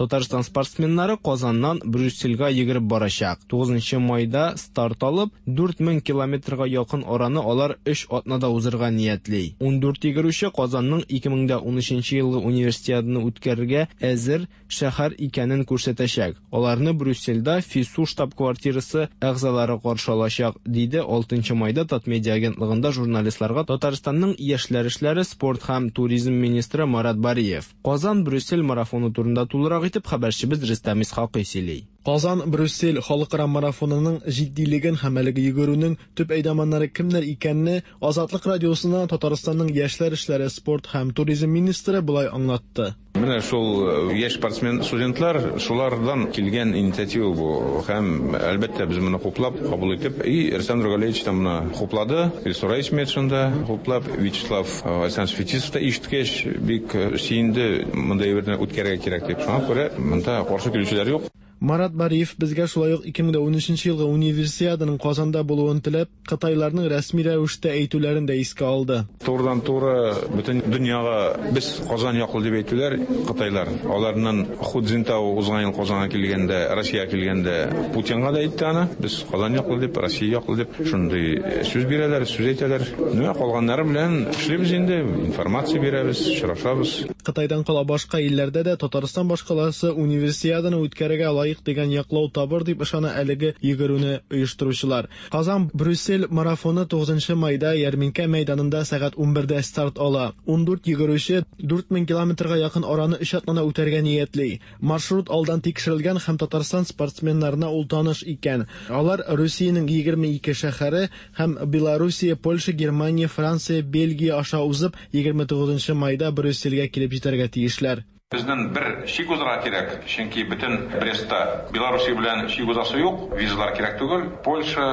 Татарстан спортсменнары Казаннан Брюссельгә йөгереп барачак. 9 майда старт алып, 4000 километрга якын араны алар 3 атнада узырга ниятли. 14 йөгерүче Казанның 2013 елгы универсиаданы үткәрергә әзер шәһәр икәнен күрсәтәчәк. Аларны Брюссельдә ФИСУ штаб-квартирасы әгъзалары каршы алачак, диде 6 майда Татмедиа агентлыгында журналистларга Татарстанның яшьләр эшләре, спорт һәм туризм министры Марат Бариев. Казан Брюссель марафоны турында тулырак итеп хәбәрчебез Рөстәм Исхакый сөйли. Казан-Брюссель халыкара марафонының җитдилеген һәм әлеге йөгерүнең төп әйдаманнары кемнәр икәнне Азатлык радиосына Татарстанның яшьләр эшләре, спорт һәм туризм министры болай аңлатты. Менә шул яшь спортсмен студентлар, шулардан килгән инициатива бу. Һәм әлбәттә без моны хуплап, кабул итеп, и Рөстәм Нургалиевич та моны хуплады, Илсур Метшин да хуплап, Вячеслав Александрович Фетисов та ишеткәч бик сөенде, мондай әйберне үткәрергә кирәк дип. Шуңа күрә монда каршы килүчеләр юк. Марат Бариев безгә шулай ук 2013 елгы универсиаданың Казанда булуын теләп, кытайларның рәсми рәвештә әйтүләрен дә искә алды. Турыдан-туры бөтен дөньяга без Казан яклы дип әйтүләр кытайлар. Аларның Ху Цзиньтао узган ел Казанга килгәндә, Россиягә килгәндә Путинга да әйтте аны, без Казан яклы дип, Россия яклы дип шундый сүз бирәләр, сүз әйтәләр. Менә калганнары белән эшлибез инде, информация бирәбез, очрашабыз. Кытайдан кала башка илләрдә дә Татарстан башкаласы универсиаданы үткәрергә лаек дигән яклау табыр дип ышана әлеге йөгерүне оештыручылар. Казан Брюссель марафоны 9 майда Ярминкә мәйданында сәгать 11дә старт ала. 14 йөгерүче 4000 километрга якын араны 3 атнада үтәргә ниятли. Маршрут алдан тикшерелгән һәм Татарстан спортсменнарына ул таныш икән. Алар Русиянең 22 шәһәре һәм Белоруссия, Польша, Германия, Франция, Бельгия аша узып 29 майда Брюссельгә килеп җитәргә тиешләр. Безнең бер чик узырга кирәк, чөнки бөтен Брестта Белоруссия белән чик узасы юк, визалар кирәк түгел. Польша,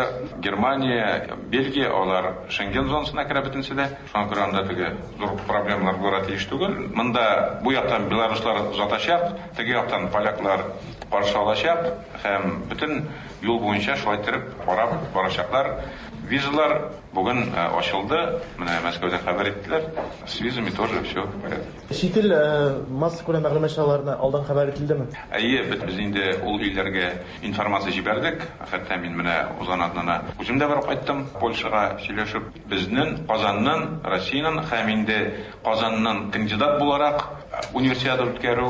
Германия, Бельгия, алар Шенген зонасына керә бөтенесе дә. Шуңа күрә анда теге зур проблемалар булырга тиеш түгел. Монда бу яктан белоруслар озатачак, теге яктан поляклар каршы алачак һәм бөтен юл буенча шулай итеп карап барачаклар. Визалар бүген ачылды, менә Мәскәүдән хәбәр иттеләр. С визами тоже все в порядке. Чит ил массакүләм мәгълүмат чараларына алдан хәбәр ителдеме? Әйе, без инде ул илләргә информация җибәрдек. Хәтта мин менә узган атнаны үзем дә барып кайттым Польшага сөйләшеп. Безнең Казаннан, Россиянең һәм инде Казаннан кандидат буларак Универсиада үткәрү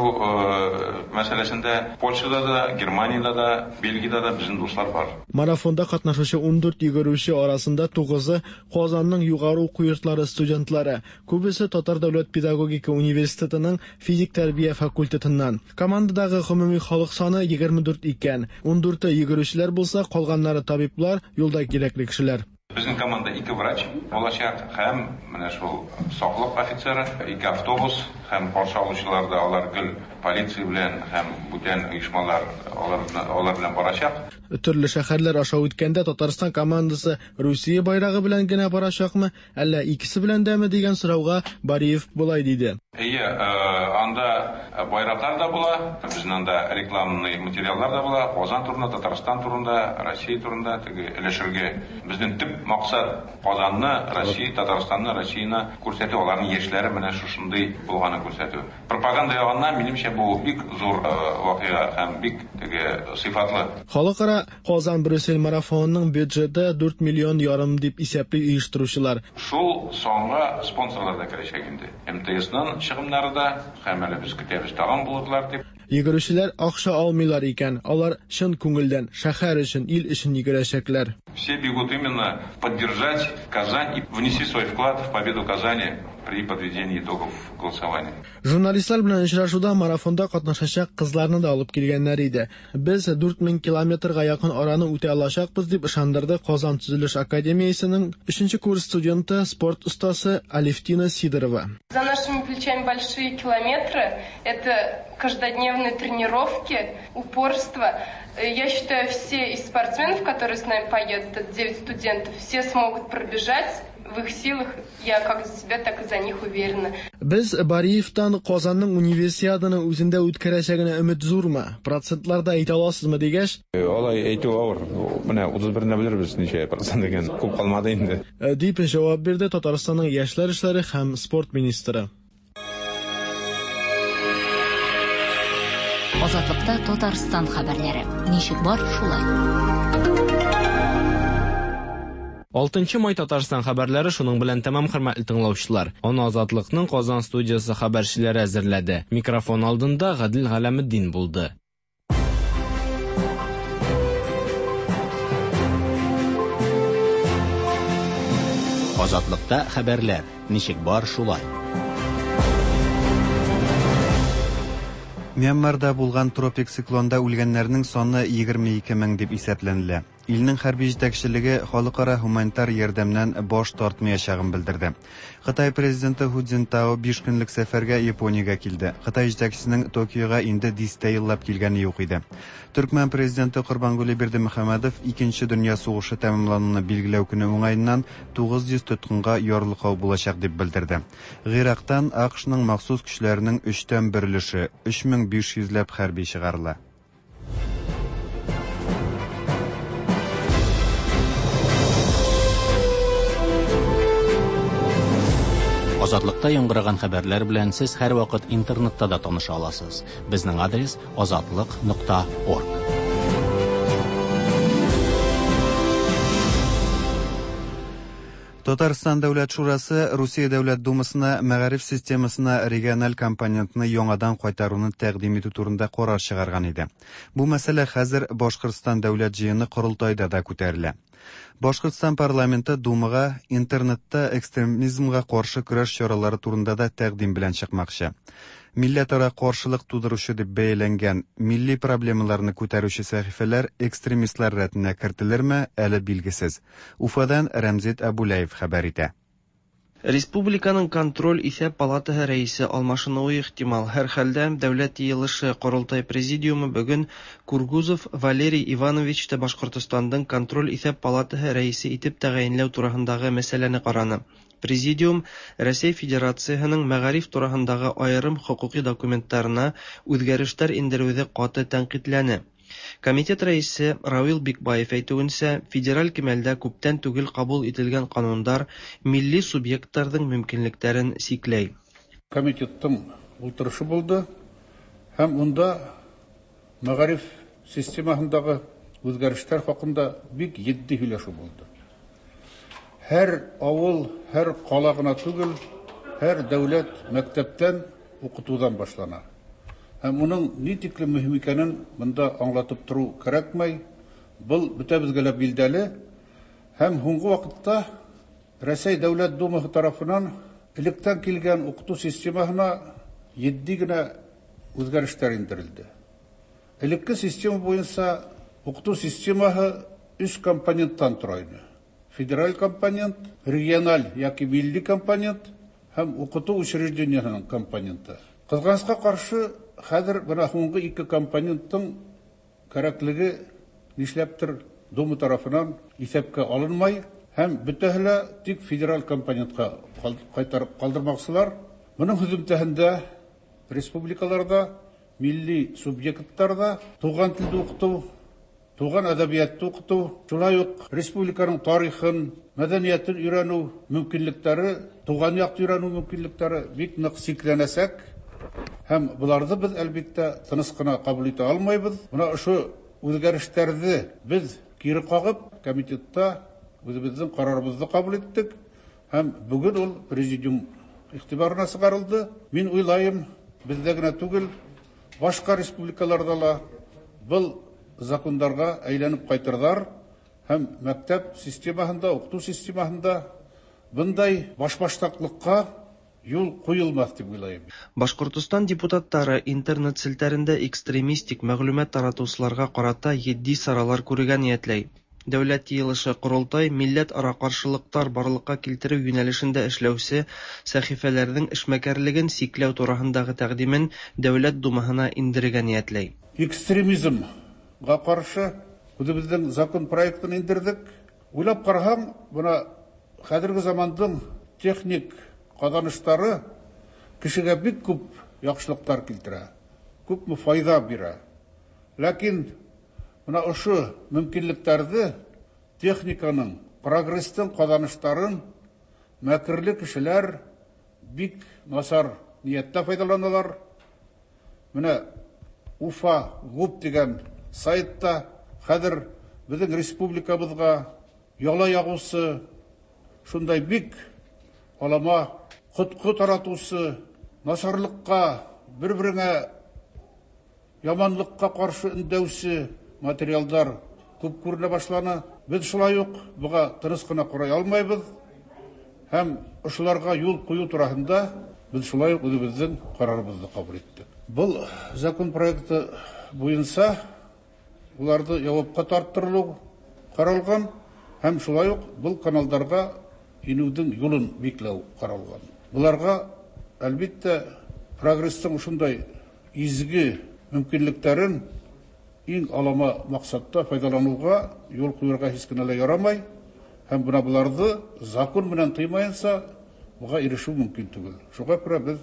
мәсьәләсендә Польшада да, Германиядә дә, Бельгиядә дә безнең дуслар бар. Марафонда катнашучы 14 йөгерүче арасында тугызы, Казанның югары уку йортлары студентлары. Күбесе Татар дәүләт педагогика университетының физик тәрбия факультетыннан. Командадагы гомуми халык саны 24 икән. Ундүрте йөгерүчеләр булса, калганнары табиблар, юлда кирәкле кешеләр. Безнең команда ике врач булачак һәм менә шул саклык офицеры, ике автобус һәм каршы алучылар да алар гел полиция белән һәм бүтән оешмалар алар, алар белән барачак. Төрле шәһәрләр аша үткәндә Татарстан командасы Русия байрагы белән генә барачакмы, әллә икесе белән дәме дигән сорауга Бариев болай диде. Әйе, анда байраклар да була, безнең анда рекламный материаллар да була, Казан турында, Татарстан турында, Россия турында теге өләшергә. Безнең төп максат Казанны, Россия, Татарстанны, Россияне күрсәтү, аларның яшьләре менә шушындый булганын күрсәтү. Пропаганда ягыннан, минемчә, бу бик зур вакыйга һәм бик теге сыйфатлы. Халыкара Казан-Брюссель марафонының бюджеты 4 миллион ярым дип исәпли оештыручылар. Шул санга спонсорлар да керәчәк инде. МТСның чыгымнары да, һәм әле без көтәбез тагын булырлар дип. Йөгерүчеләр акча алмыйлар икән, алар чын күңелдән, шәһәр өчен, ил өчен йөгерәчәкләр. Все бегут именно поддержать Казань и внести свой вклад в победу Казани при подведении итогов голосования. Журналистлар белән очрашуда марафонда катнашачак кызларны да алып килгәннәр иде. Без 4000 километрга якын араны үтә алачакбыз, дип ышандырды Казан төзелеш академиясенең 3 курс студенты, спорт остасы Алевтина Сидорова. За нашими плечами большие километры, это каждодневные тренировки, упорство. Я считаю, все из спортсменов, которые с нами поедут, это 9 студентов, все смогут пробежать. В их силах, я как за себя, так и за них уверена. Без Бариевтан Казанның универсиаданы үзендә үткәрәчәгенә өмет зурмы? Процентларда әйтә аласызмы дигәч? Алай әйтү авыр. Менә 31-ндә белербез ничә процент икән. Күп калмады инде. Дип җавап бирде Татарстанның яшьләр эшләре һәм спорт министры. Азатлыкта Татарстан хәбәрләре. Ничек бар, шулай. 6 май Татарстан хәбәрләре шуның белән тәмам, хөрмәтле тыңлаучылар. Аны Азатлыкның Казан студиясе хәбәрчеләре әзерләде. Микрофон алдында Гадел Галәметдин булды. Азатлыкта хәбәрләр. Ничек бар, шулай. Мьянмарда булган тропик циклонда үлгәннәрнең саны 22 мең дип исәпләнелә. Илнең хәрби җитәкчелеге халыкара һуманитар ярдәмнән баш тартмаячагын белдерде. Кытай президенты Ху Цзиньтао 5 көнлек сәфәргә Япониягә килде. Кытай җитәкчесенең Токиога инде дистә еллап килгәне юк иде. Төркмән президенты Корбангули Бердымөхәммәдов Икенче дөнья сугышы тәмамлануны билгеләү көне уңаеннан 900 тоткынга ярлыкау булачак дип белдерде. Гыйрактан АКШның махсус көчләренең өчтән бер өлеше, 3500 ләп хәрби чыгарыла. Азатлыкта яңгыраган хәбәрләр белән сез һәрвакыт интернетта да таныша аласыз. Безнең адрес азатлык.орг. Татарстан Дәүләт Шурасы Русия Дәүләт Думасына мәгариф системасына региональ компонентны яңадан кайтаруны тәкъдим итү турында карар чыгарган иде. Бу мәсьәлә хәзер Башкортстан Дәүләт җыены корылтайда да күтәрелә. Башкортстан парламенты Думага интернетта экстремизмга каршы көрәш чаралары турында да тәкъдим белән чыкмакчы. Милләтара каршылык тудыручы дип бәяләнгән милли проблемаларны күтәрүче сәхифәләр экстремистлар рәтенә кертелерме, әле билгесез. Уфадан Рәмзит Абулаев хәбәр итә. Республиканың контроль-исәп палатаһы рәисе алмашынуы ихтимал. Һәрхәлдә, Дәүләт Йыелышы-Корылтай Президиумы бөгөн Кургузов Валерий Ивановичты Башкортостандың контроль-исәп палатаһы рәисе итеп тәгаенләү тураһындагы мәсьәләне караны. Президиум Рәсәй Федерацияһының мәгариф тураһындагы аерым хокукый документтарына үзгәрешләр индерүҙе каты тәнҡитләне. Комитет рәисе Равил Бикбаев әйтүенчә, федераль кимәлдә күптән түгел кабул ителгән канундар милли субъектларның мөмкинлекләрен сикләй. Комитеттың ултырышы булды һәм унда мәгариф системаһындагы үзгәрешләр хакында бик җитди һөйләшү булды. Һәр авыл, һәр кала гына түгел, һәр дәүләт мәктәптән укытудан башлана. Һәм уның ни тиклем мөһим икәнен монда аңлатып тору кәрәкмәй. Был бөтәбезгә лә билдәле. Һәм һуңгы вакытта Рәсәй Дәүләт Думаһы тарафынан электән килгән укыту системаһына җитди генә үзгәрешләр индерелде. Элекке система буенча укыту системаһы өч компоненттан тора иде. Федераль компонент, региональ яки милли компонент һәм укыту учреждениеһының компоненты. Кызганычка каршы, хәзер менә һуңгы ике компоненттың кәрәклеге нишләптер Дума тарафынан исәпкә алынмай һәм бөтәһе лә тик федераль компонентка кайтарып калдырмакчылар. Моның һөземтәһендә республикаларда милли субъектларда туган телдә укыту, туган әдәбиятты укыту, шулай ук республиканың тарихын, мәдәниятен өйрәнү мөмкинлекләре, туган якты өйрәнү мөмкинлекләре бик нык сикләнәчәк. Һәм боларны без, әлбиттә, тыныч кына кабул итә алмайбыз. Менә ошо үзгәрешләрне без кире кагып, комитетта үзебезнең карарыбызны кабул иттек. Һәм бүген ул президиум игътибарына чыгарылды. Мин уйлайым, бездә генә түгел, башка республикаларда ла был закондарга әйләнеп кайтырдар һәм мәктәп системаһында, укыту системаһында бындай башбаштаклыкка юл куелмас дип уйлайым. Башкортостан депутаттары интернет челтәрендә экстремистик мәгълүмат таратучыларга карата җитди чаралар күрергә ниятләй. Дәүләт Йыелышы-Корылтай милләтара каршылыклар барлыкка килтерү юнәлешендә эшләүче сәхифәләрнең эшмәкәрлеген чикләү турысындагы тәкъдимен Дәүләт Думаһына индерергә ниятләй. Экстремизмга каршы үзебезнең закон проектын индердек. Уйлап карасаң, менә хәзерге заманның техник казанышлары кешегә бик күп яхшылыклар китерә, күпме файда бирә. Ләкин менә ошо мөмкинлекләрне техниканың, прогресстың казанышларын мәкерле кешеләр бик начар нияттә файдаланалар. Менә Уфа ГУП дигән сайтта хәзер безнең республикабызга яла ягусы, шундай бик алама коткы таратусы, начарлыкка, бер-береңә яманлыкка каршы өндәүче материалдар күп күренә башланы. Без шулай ук буга тыныч кына карый алмайбыз һәм ошоларга юл кую турасында без шулай ук үзебезнең карарыбызны кабул иттек. Был закон проекты буенча уларды явапка тарттырылу каралган һәм шулай ук был каналдарга инүдең юлын бикләү каралган. Буларга, әлбиттә, прогресстың ушундай изге мөмкинлекләрен иң алама максатта файдалануга юл куярга һич кенә лә ярамай һәм менә боларны закон белән тыймаенча буга ирешү мөмкин түгел. Шуңа күрә без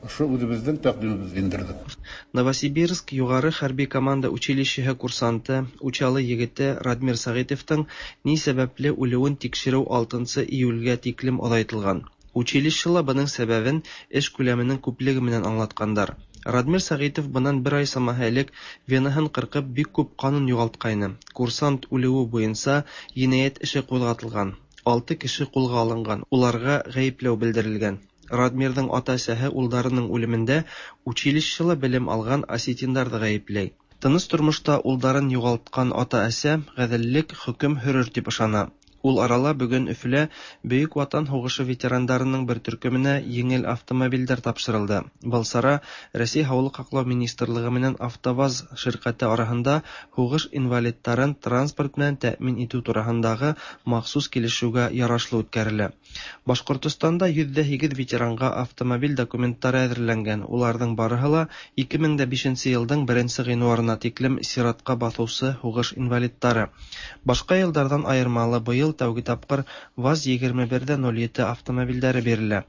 ошо үзебезнең тәкъдимебезне индердек. Новосибирск югары хәрби команда училищеһы курсанты, Учалы егете Радмир Сәгыйтовтың ни сәбәпле үлүен тикшерү 6 июльгә тиклем озайтылган. Училищела бының сәбәбен эш күләменең күплеге менән аңлаткандар. Радмир Сәгыйтов быннан бер ай самаһы элек венаһын кыркып бик күп канын югалткайны. Курсант үлүе буенча җинаять эше кузгатылган. 6 кеше кулга алынган, уларга гаепләү белдерелгән. Радмирның ата-әсәһе улдарының үлемендә училищела белем алган осетиннарны гаепләй. Тыныч тормышта улдарын югалткан ата-әсә гаделлек хөкем һөрер дип ышана. Ул арала бүген Өфөлә Бөек Ватан һугышы ветерандарының бер төркеменә еңел автомобильдәр тапшырылды. Был чара Рәсәй Һаулык һаклау министрлыгы менән АвтоВАЗ ширкәте араһында һугыш инвалидтарын транспорт менән тәэмин итү тураһындагы махсус килешүгә ярашлы үткәрелә. Башкортостанда 108 ветеранга автомобиль документлары әзерләнгән. Уларның барыһы ла 2005 елдың 1 гыйнварына тиклем сиратка баҫыусы һугыш инвалидтары. Башка елдардан айырмалы быел Быел тәүге тапкыр ВАЗ 21 дә 07 автомобильдәре бирелә.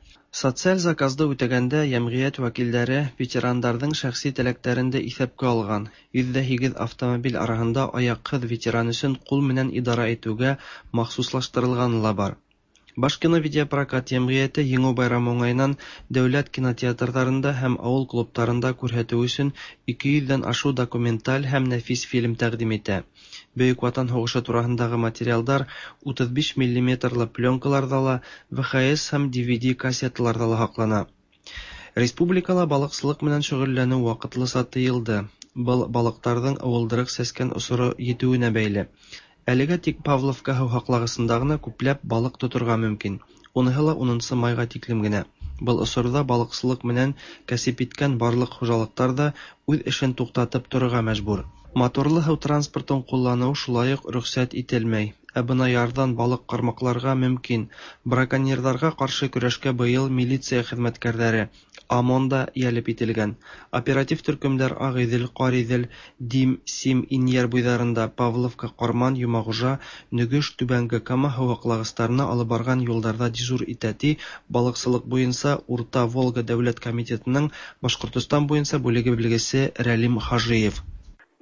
Социаль заказды үтәгәндә йәмгыять вәкилдәре ветерандарҙың шәхси теләктәрен дә иҫәпкә алған. 108 автомобиль араһында аяҡһыҙ ветеран өсөн ҡул менән идара итеүгә махсуслаштырылғаны ла бар. Башкиновидеопрокат йәмғиәте Еңеү байрамы уңайынан дәүләт кинотеатрҙарында һәм ауыл клубтарында күрһәтеү өсөн 200 ҙән ашыу документаль һәм нәфис фильм тәҡдим итә. Бөйөк Ватан һуғышы тураһындағы материалдар 35 миллиметрлы пленкаларҙа ла, VHS һәм DVD кассеталарҙа ла һаҡлана. Республикала балыҡсылыҡ менән шөғөлләнеү ваҡытлыса тыйылды. Был балыҡтарҙың ыуылдырыҡ сәскән осоро етеүенә бәйле. Әлегә тик Павловка һыу һаҡлағысында ғына күпләп балыҡ тоторға мөмкин. Уныһы ла 10 майға тиклем генә. Был осорҙа балыҡсылыҡ менән кәсеп иткән барлыҡ хужалыҡтар ҙа үҙ эшен туҡтатып торорға мәжбүр. Моторлы һыу транспортын ҡулланыу шулай уҡ рөхсәт ителмәй. Ә бына ярҙан балыҡ ҡармаҡларға мөмкин. Браконьерҙарға ҡаршы көрәшкә быйыл милиция хеҙмәткәрҙәре, ОМОН да йәлеп ителгән. Оператив төркөмдәр Ағиҙел, Ҡариҙел, Дим, Сим, Инйәр буйҙарында, Павловка, Ҡарман, Йомағужа, Нөгөш, Түбәнге Кама һыу һаҡлағыстарына алып барған юлдарҙа дежур итә, ти балыҡсылыҡ буйынса Урта Волга дәүләт комитетының Башҡортостан буйынса бүлеге белгесе Рәлим Хажиев.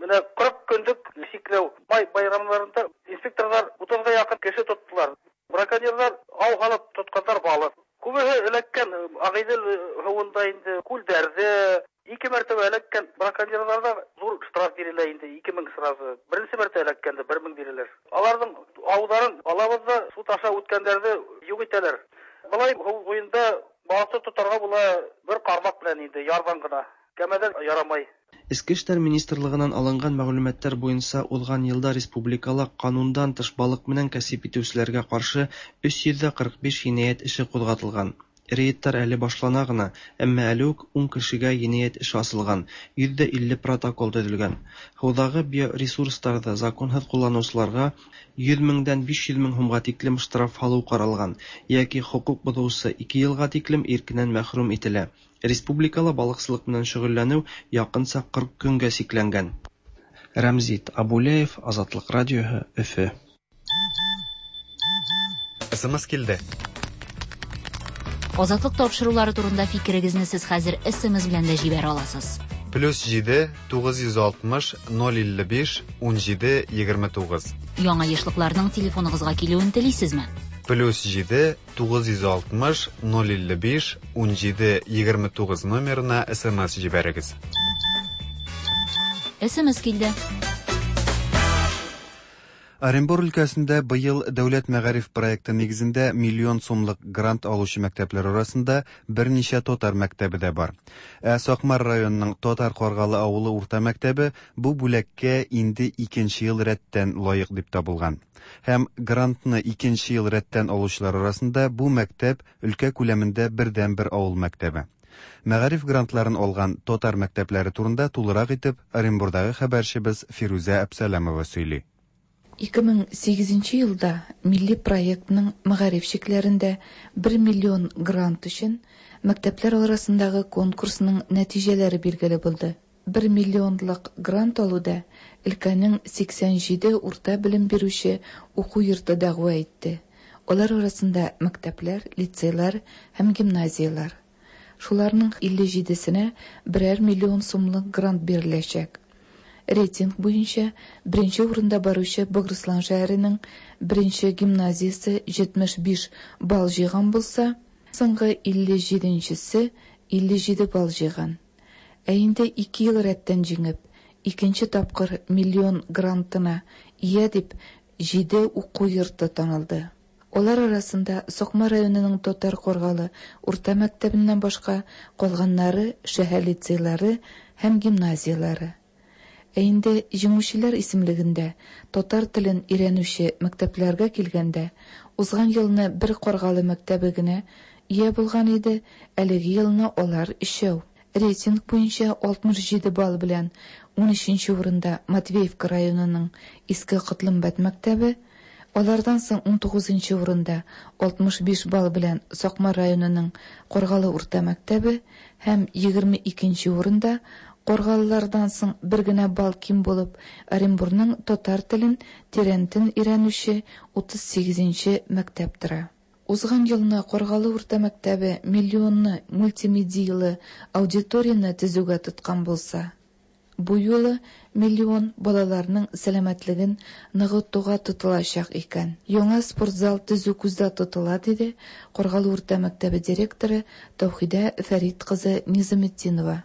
Менә 40 көнлек сикләү май байрамнарында инспекторлар 30-га якын кеше тоттылар. Браконьерлар ау һалып тотканнар балык. Күбеһе эләккән Ағиҙел һыуында инде, күлдәрҙә. Ике мәртәбә эләккән браконьерларҙа ҙур штраф бирелә инде, 2000 сразу. Беренсе мәртәбә эләккәндә 1000 бирәләр. Аларҙың ауҙарын алабыҙ ҙа суд аша үткәндәрҙе юҡ итәләр. Былай һыу буйында балыҡты тотарға була бер ҡармаҡ белән инде, ярҙан ғына. Кәмәҙән ярамай. Эске эштәр министрлығынан алынған мәғлүмәттәр буйынса уҙған йылда республикала ҡанундан тыш балыҡ менән кәсеп итеүселәргә ҡаршы 345 енәйәт эше ҡуҙғатылған. Рейдтар әле башлана ғына, әммә әле үк 10 кешегә енәйәт эше асылған, 150 протокол төҙөлгән. Һыуҙағы биоресурстарҙы законһыҙ ҡулланыусыларға 100 меңдән 500 мең һумға тиклем штраф һалыу ҡаралған, йәки хоҡуҡ боҙоусы 2 йылға тиклем иркенән мәхрүм ителә. Республикала балыҡсылыҡ менән шөғөлләнеү яҡынса 40 көнгә сикләнгән. Рәмзит Абулеев, Азатлыҡ радиоһы, Өфө. СМС килде. Азатлык тапшырулары турында фикерегезне сез хәзер SMS белән дә җибәрә аласыз. Плюс 7 960 055 17 29. Яңа ешлыкларның телефоныгызга килүен телисезме? Плюс 7 960 055 17 29 номерына СМС җибәрегез. SMS килде. Оренбур өлкәсендә быел дәүләт мәгариф проекты нигезендә миллион сумлык грант алучы мәктәпләр арасында берничә татар мәктәбе дә бар. Ә Сакмар районының Татар Каргалы авылы урта мәктәбе бу бүләккә инде икенче ел рәттән лаек дип табылган. Һәм грантны икенче ел рәттән алучылар арасында бу мәктәп өлкә күләмендә бердәнбер авыл мәктәбе. Мәгариф грантларын алган татар мәктәпләре турында тулырак итеп Оренбурдагы хәбәрчебез Фирүзә Әпсәләмова сөйли. 2008 елда милли проектның мәгариф чикләрендә 1 миллион грант өчен мәктәпләр арасындагы конкурсның нәтиҗәләре билгеле булды. 1 миллионлык грант алуда өлкәнең 87 урта белем бирүче уку йорты дәгъва итте. Алар арасында мәктәпләр, лицейлар һәм гимназияләр. Шуларның 57-сенә берәр миллион сумлык грант биреләчәк. Рейтинг буенча беренче урында баручы Богырыслан шәһәренең беренче гимназиясе 75 балл җыйган булса, соңгы 57-нчесе 57 балл җыйган. Ә инде 2 ел рәттән җиңеп, икенче тапкыр миллион грантына ия дип 7 уку йорты танылды. Алар арасында Сокма районының Татар Каргалы урта мәктәбеннән башка калганнары шәһәр лицейлары һәм гимназияләре. Ә инде җиңүчеләр исемлегендә татар телен өйрәнүче мәктәпләргә килгәндә, узган елны бер Каргалы мәктәбе генә ия булган иде, әлеге елны алар өчәү. Рейтинг буенча 67 балл белән 13 урында Матвеевка районының Иске Котлымбәт мәктәбе, алардан соң 19 урында 65 балл белән Сакмар районының Каргалы урта мәктәбе һәм 22 урында Каргалылардан соң бер генә балл ким булып, Оренбурның татар телен тирәнтен өйрәнүче 38 нче мәктәп тора. Узган елны Каргалы урта мәктәбе миллионны мультимедияле аудиторияне төзүгә тоткан булса, бу юлы миллион балаларның сәламәтлеген ныгытуга тотылачак икән. Яңа спортзал төзү күздә тотыла, диде Каргалы урта мәктәбе директоры Тәүхидә Фәрит кызы Низаметдинова.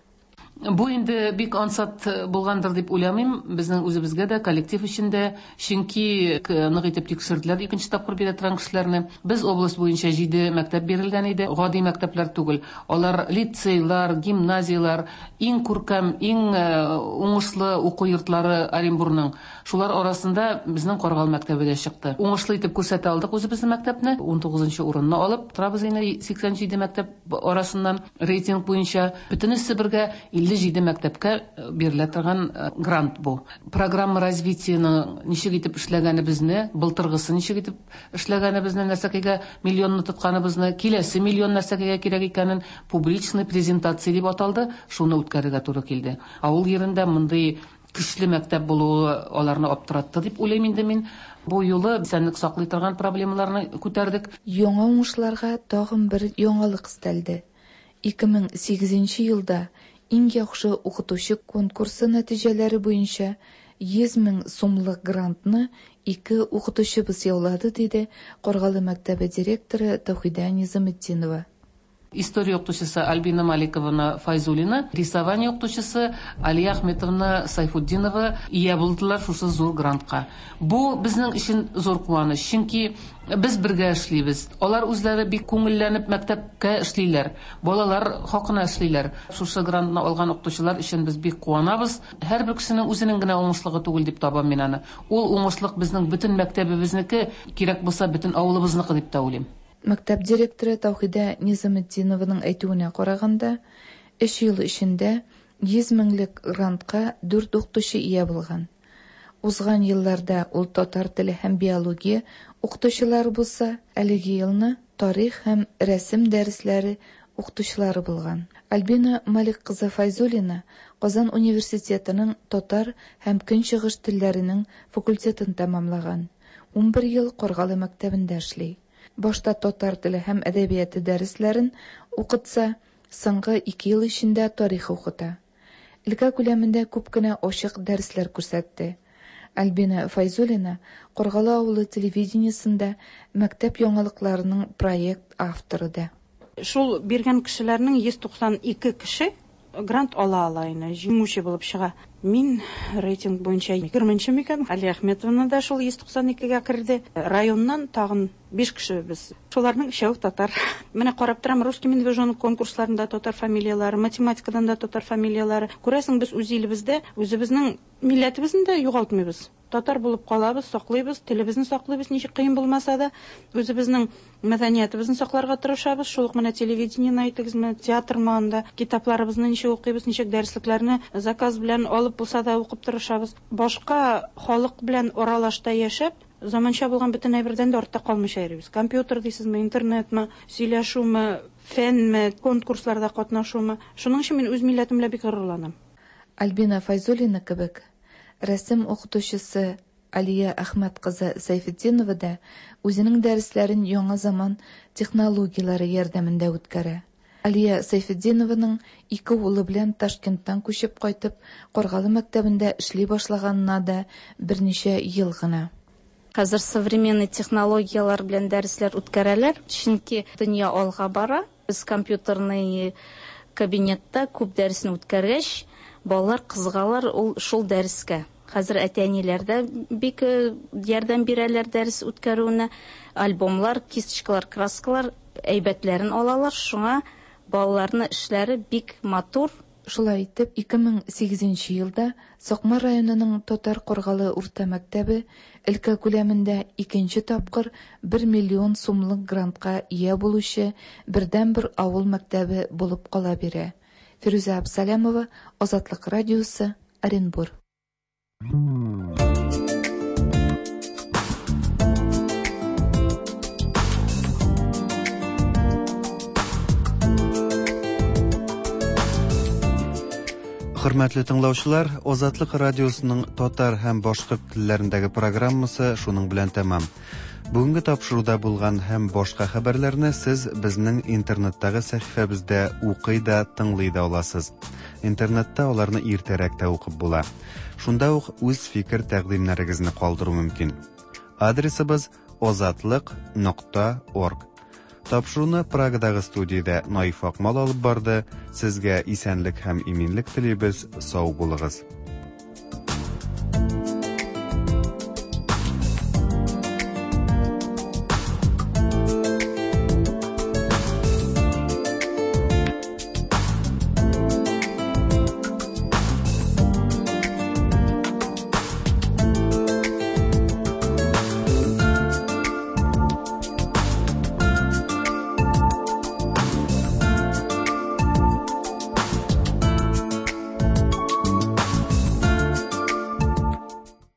Бу инде бик ансат булгандыр дип уйламыйм, безнең үзебезгә дә, коллектив өчен дә, чөнки нык итеп тикшерделәр икенче тапкыр бирә торган кешеләрне. Без область буенча җиде мәктәп бирелгән иде, гади мәктәпләр түгел. Алар лицейлар, гимназияләр, иң күркәм, иң уңышлы уку йортлары Оренбурның. Шулар арасында безнең Каргал мәктәбе дә чыкты. Уңышлы итеп күрсәтә алдык үзебезнең мәктәпне. Унтугызынчы урынны алып торабыз инде 87 мәктәп арасыннан рейтинг буенча. Бөтенесе бергә 57 мәктәпкә бирелә торган грант бу. Программа развитиеның ничек итеп эшләгәнебезне, былтыргысы ничек итеп эшләгәнебезне, нәрсәкәйгә миллионны тотканыбызны, киләсе миллион нәрсәкәйгә кирәк икәнен публичный презентация дип аталды, шуны үткәрергә туры килде. Авыл җирендә мондый Көчле мәктәп булуы аларны аптыратты дип уйлыйм инде мин. Бу юлы исәнлек саклый торган проблемаларны күтәрдек. Яңа уңышларга тагын бер яңалык өстәлде. 2008 нче елда Иң яхшы укытучы конкурсы нәтиҗәләре буенча 100 мең сумлык грантны ике укытучыбыз яулады, диде Каргалы мәктәбе директоры Тәүхидә Низаметдинова. История укытучысы Альбина Маликовна Файзуллина, рисование укытучысы Алия Ахметовна Сайфутдинова ия булдылар шушы зур грантка. Бу безнең өчен зур куаныч, чөнки без бергә эшлибез. Алар үзләре бик күңелләнеп мәктәпкә эшлиләр, балалар хакына эшлиләр. Шушы грантны алган укытучылар өчен без бик куанабыз. Һәрбер кешенең үзенең генә уңышлыгы түгел дип табам мин аны. Ул уңышлык безнең бөтен мәктәбебезнеке, кирәк булса, бөтен авылыбызныкы дип тә уйлыйм. Мәктәп директоры Тәүхидә Низаметдинованың әйтүенә караганда, өч ел эчендә 100 меңлек грантка дүрт укытучы ия булган. Узган елларда ул татар теле һәм биология укытучылары булса, әлеге елны тарих һәм рәсем дәресләре укытучылары булган. Альбина Малик кызы Фәйзуллина Казан университетының татар һәм көнчыгыш телләренең факультетын тәмамлаган, 11 ел Каргалы мәктәбендә эшли. Башта татар теле һәм әдәбияты дәресләрен укытса, соңгы ике ел эчендә тарих укыта. Өлкә күләмендә күп кенә ачык дәресләр күрсәтте. Альбина Фәйзуллина Каргалы авылы телевидениесендә мәктәп яңалыкларының проект авторы да. Шул биргән кешеләрнең 192 кеше грант ала ала инде, җиңүче булып чыга. Мин рейтинг буенча егерменче микән, Алия Ахметовна да шул 192 гә керде. Районнан тагын биш кеше без. Шуларның өчәү татар. Менә карап торам, Русский медвежонок конкурсларында татар фамилияләре, математикадан да татар фамилияләре. Күрәсең, без үз илебездә үзебезнең милләтебезне дә югалтмыйбыз. Татар булып калабыз, саклыйбыз, телебезне саклыйбыз, ничек кыен булмаса да, үзебезнең мәдәниятебезне сакларга тырышабыз. Шул ук менә телевидениене әйтегез, менә театрмы анда, китапларыбызны ничек укыйбыз, ничек дәреслекләрне заказ белән алып булса да укып тырышабыз. Башка халык белән аралашта яшәп, заманча булган бөтен әйбердән дә артта калмыйча йөрибез. Компьютер дисезме, интернетмы, сөйләшүме, фәнме, конкурсларда катнашумы. Шуның өчен мин үз милләтем белән бик горурланам. Альбина Фәйзуллина кебек Рәсем укытучысы Алия Әхмәт кызы Сәйфетдинова да үзенең дәресләрен яңа заман технологияләре ярдәмендә үткәрә. Алия Сәйфетдинованың ике улы белән Ташкенттан күчеп кайтып, Каргалы мәктәбендә эшли башлаганына да берничә ел гына. Хәзер современный технологияләр белән дәресләр үткәрәләр, чөнки дөнья алга бара. Без компьютерный кабинетта күп дәресне үткәргәч, балалар кызыгалар ул шул дәрескә. Хәзер әти-әниләр дә бик ярдәм бирәләр дәрес үткәрүенә. Альбомлар, кисточкалар, краскалар әйбәтләрен алалар, шуңа балаларны эшләре бик матур. Шулай итеп, 2008 нче елда Сакмар районының Татар Каргалы урта мәктәбе өлкә күләмендә икенче тапкыр бер миллион сумлык грантка ия булучы бердәнбер авыл мәктәбе булып кала бирә. Фирүзә Абсалямова, Азатлык радиосы, Оренбур. Хөрмәтле тыңлаучылар, Азатлык радиосының татар һәм башкорт телләрендәге программасы шуның белән тәмам. Бүгенге тапшыруда булган һәм башка хәбәрләрне сез безнең интернеттагы сәхифәбездә укый да, тыңлый да аласыз. Интернетта аларны иртәрәк тә укып була. Шунда ук үз фикер-тәкъдимнәрегезне калдыру мөмкин. Адресыбыз озатлык.орг. Тапшыруны Прагадагы студиядә Наиф Акмал алып барды. Сезгә исәнлек һәм иминлек телибез. Сау булыгыз.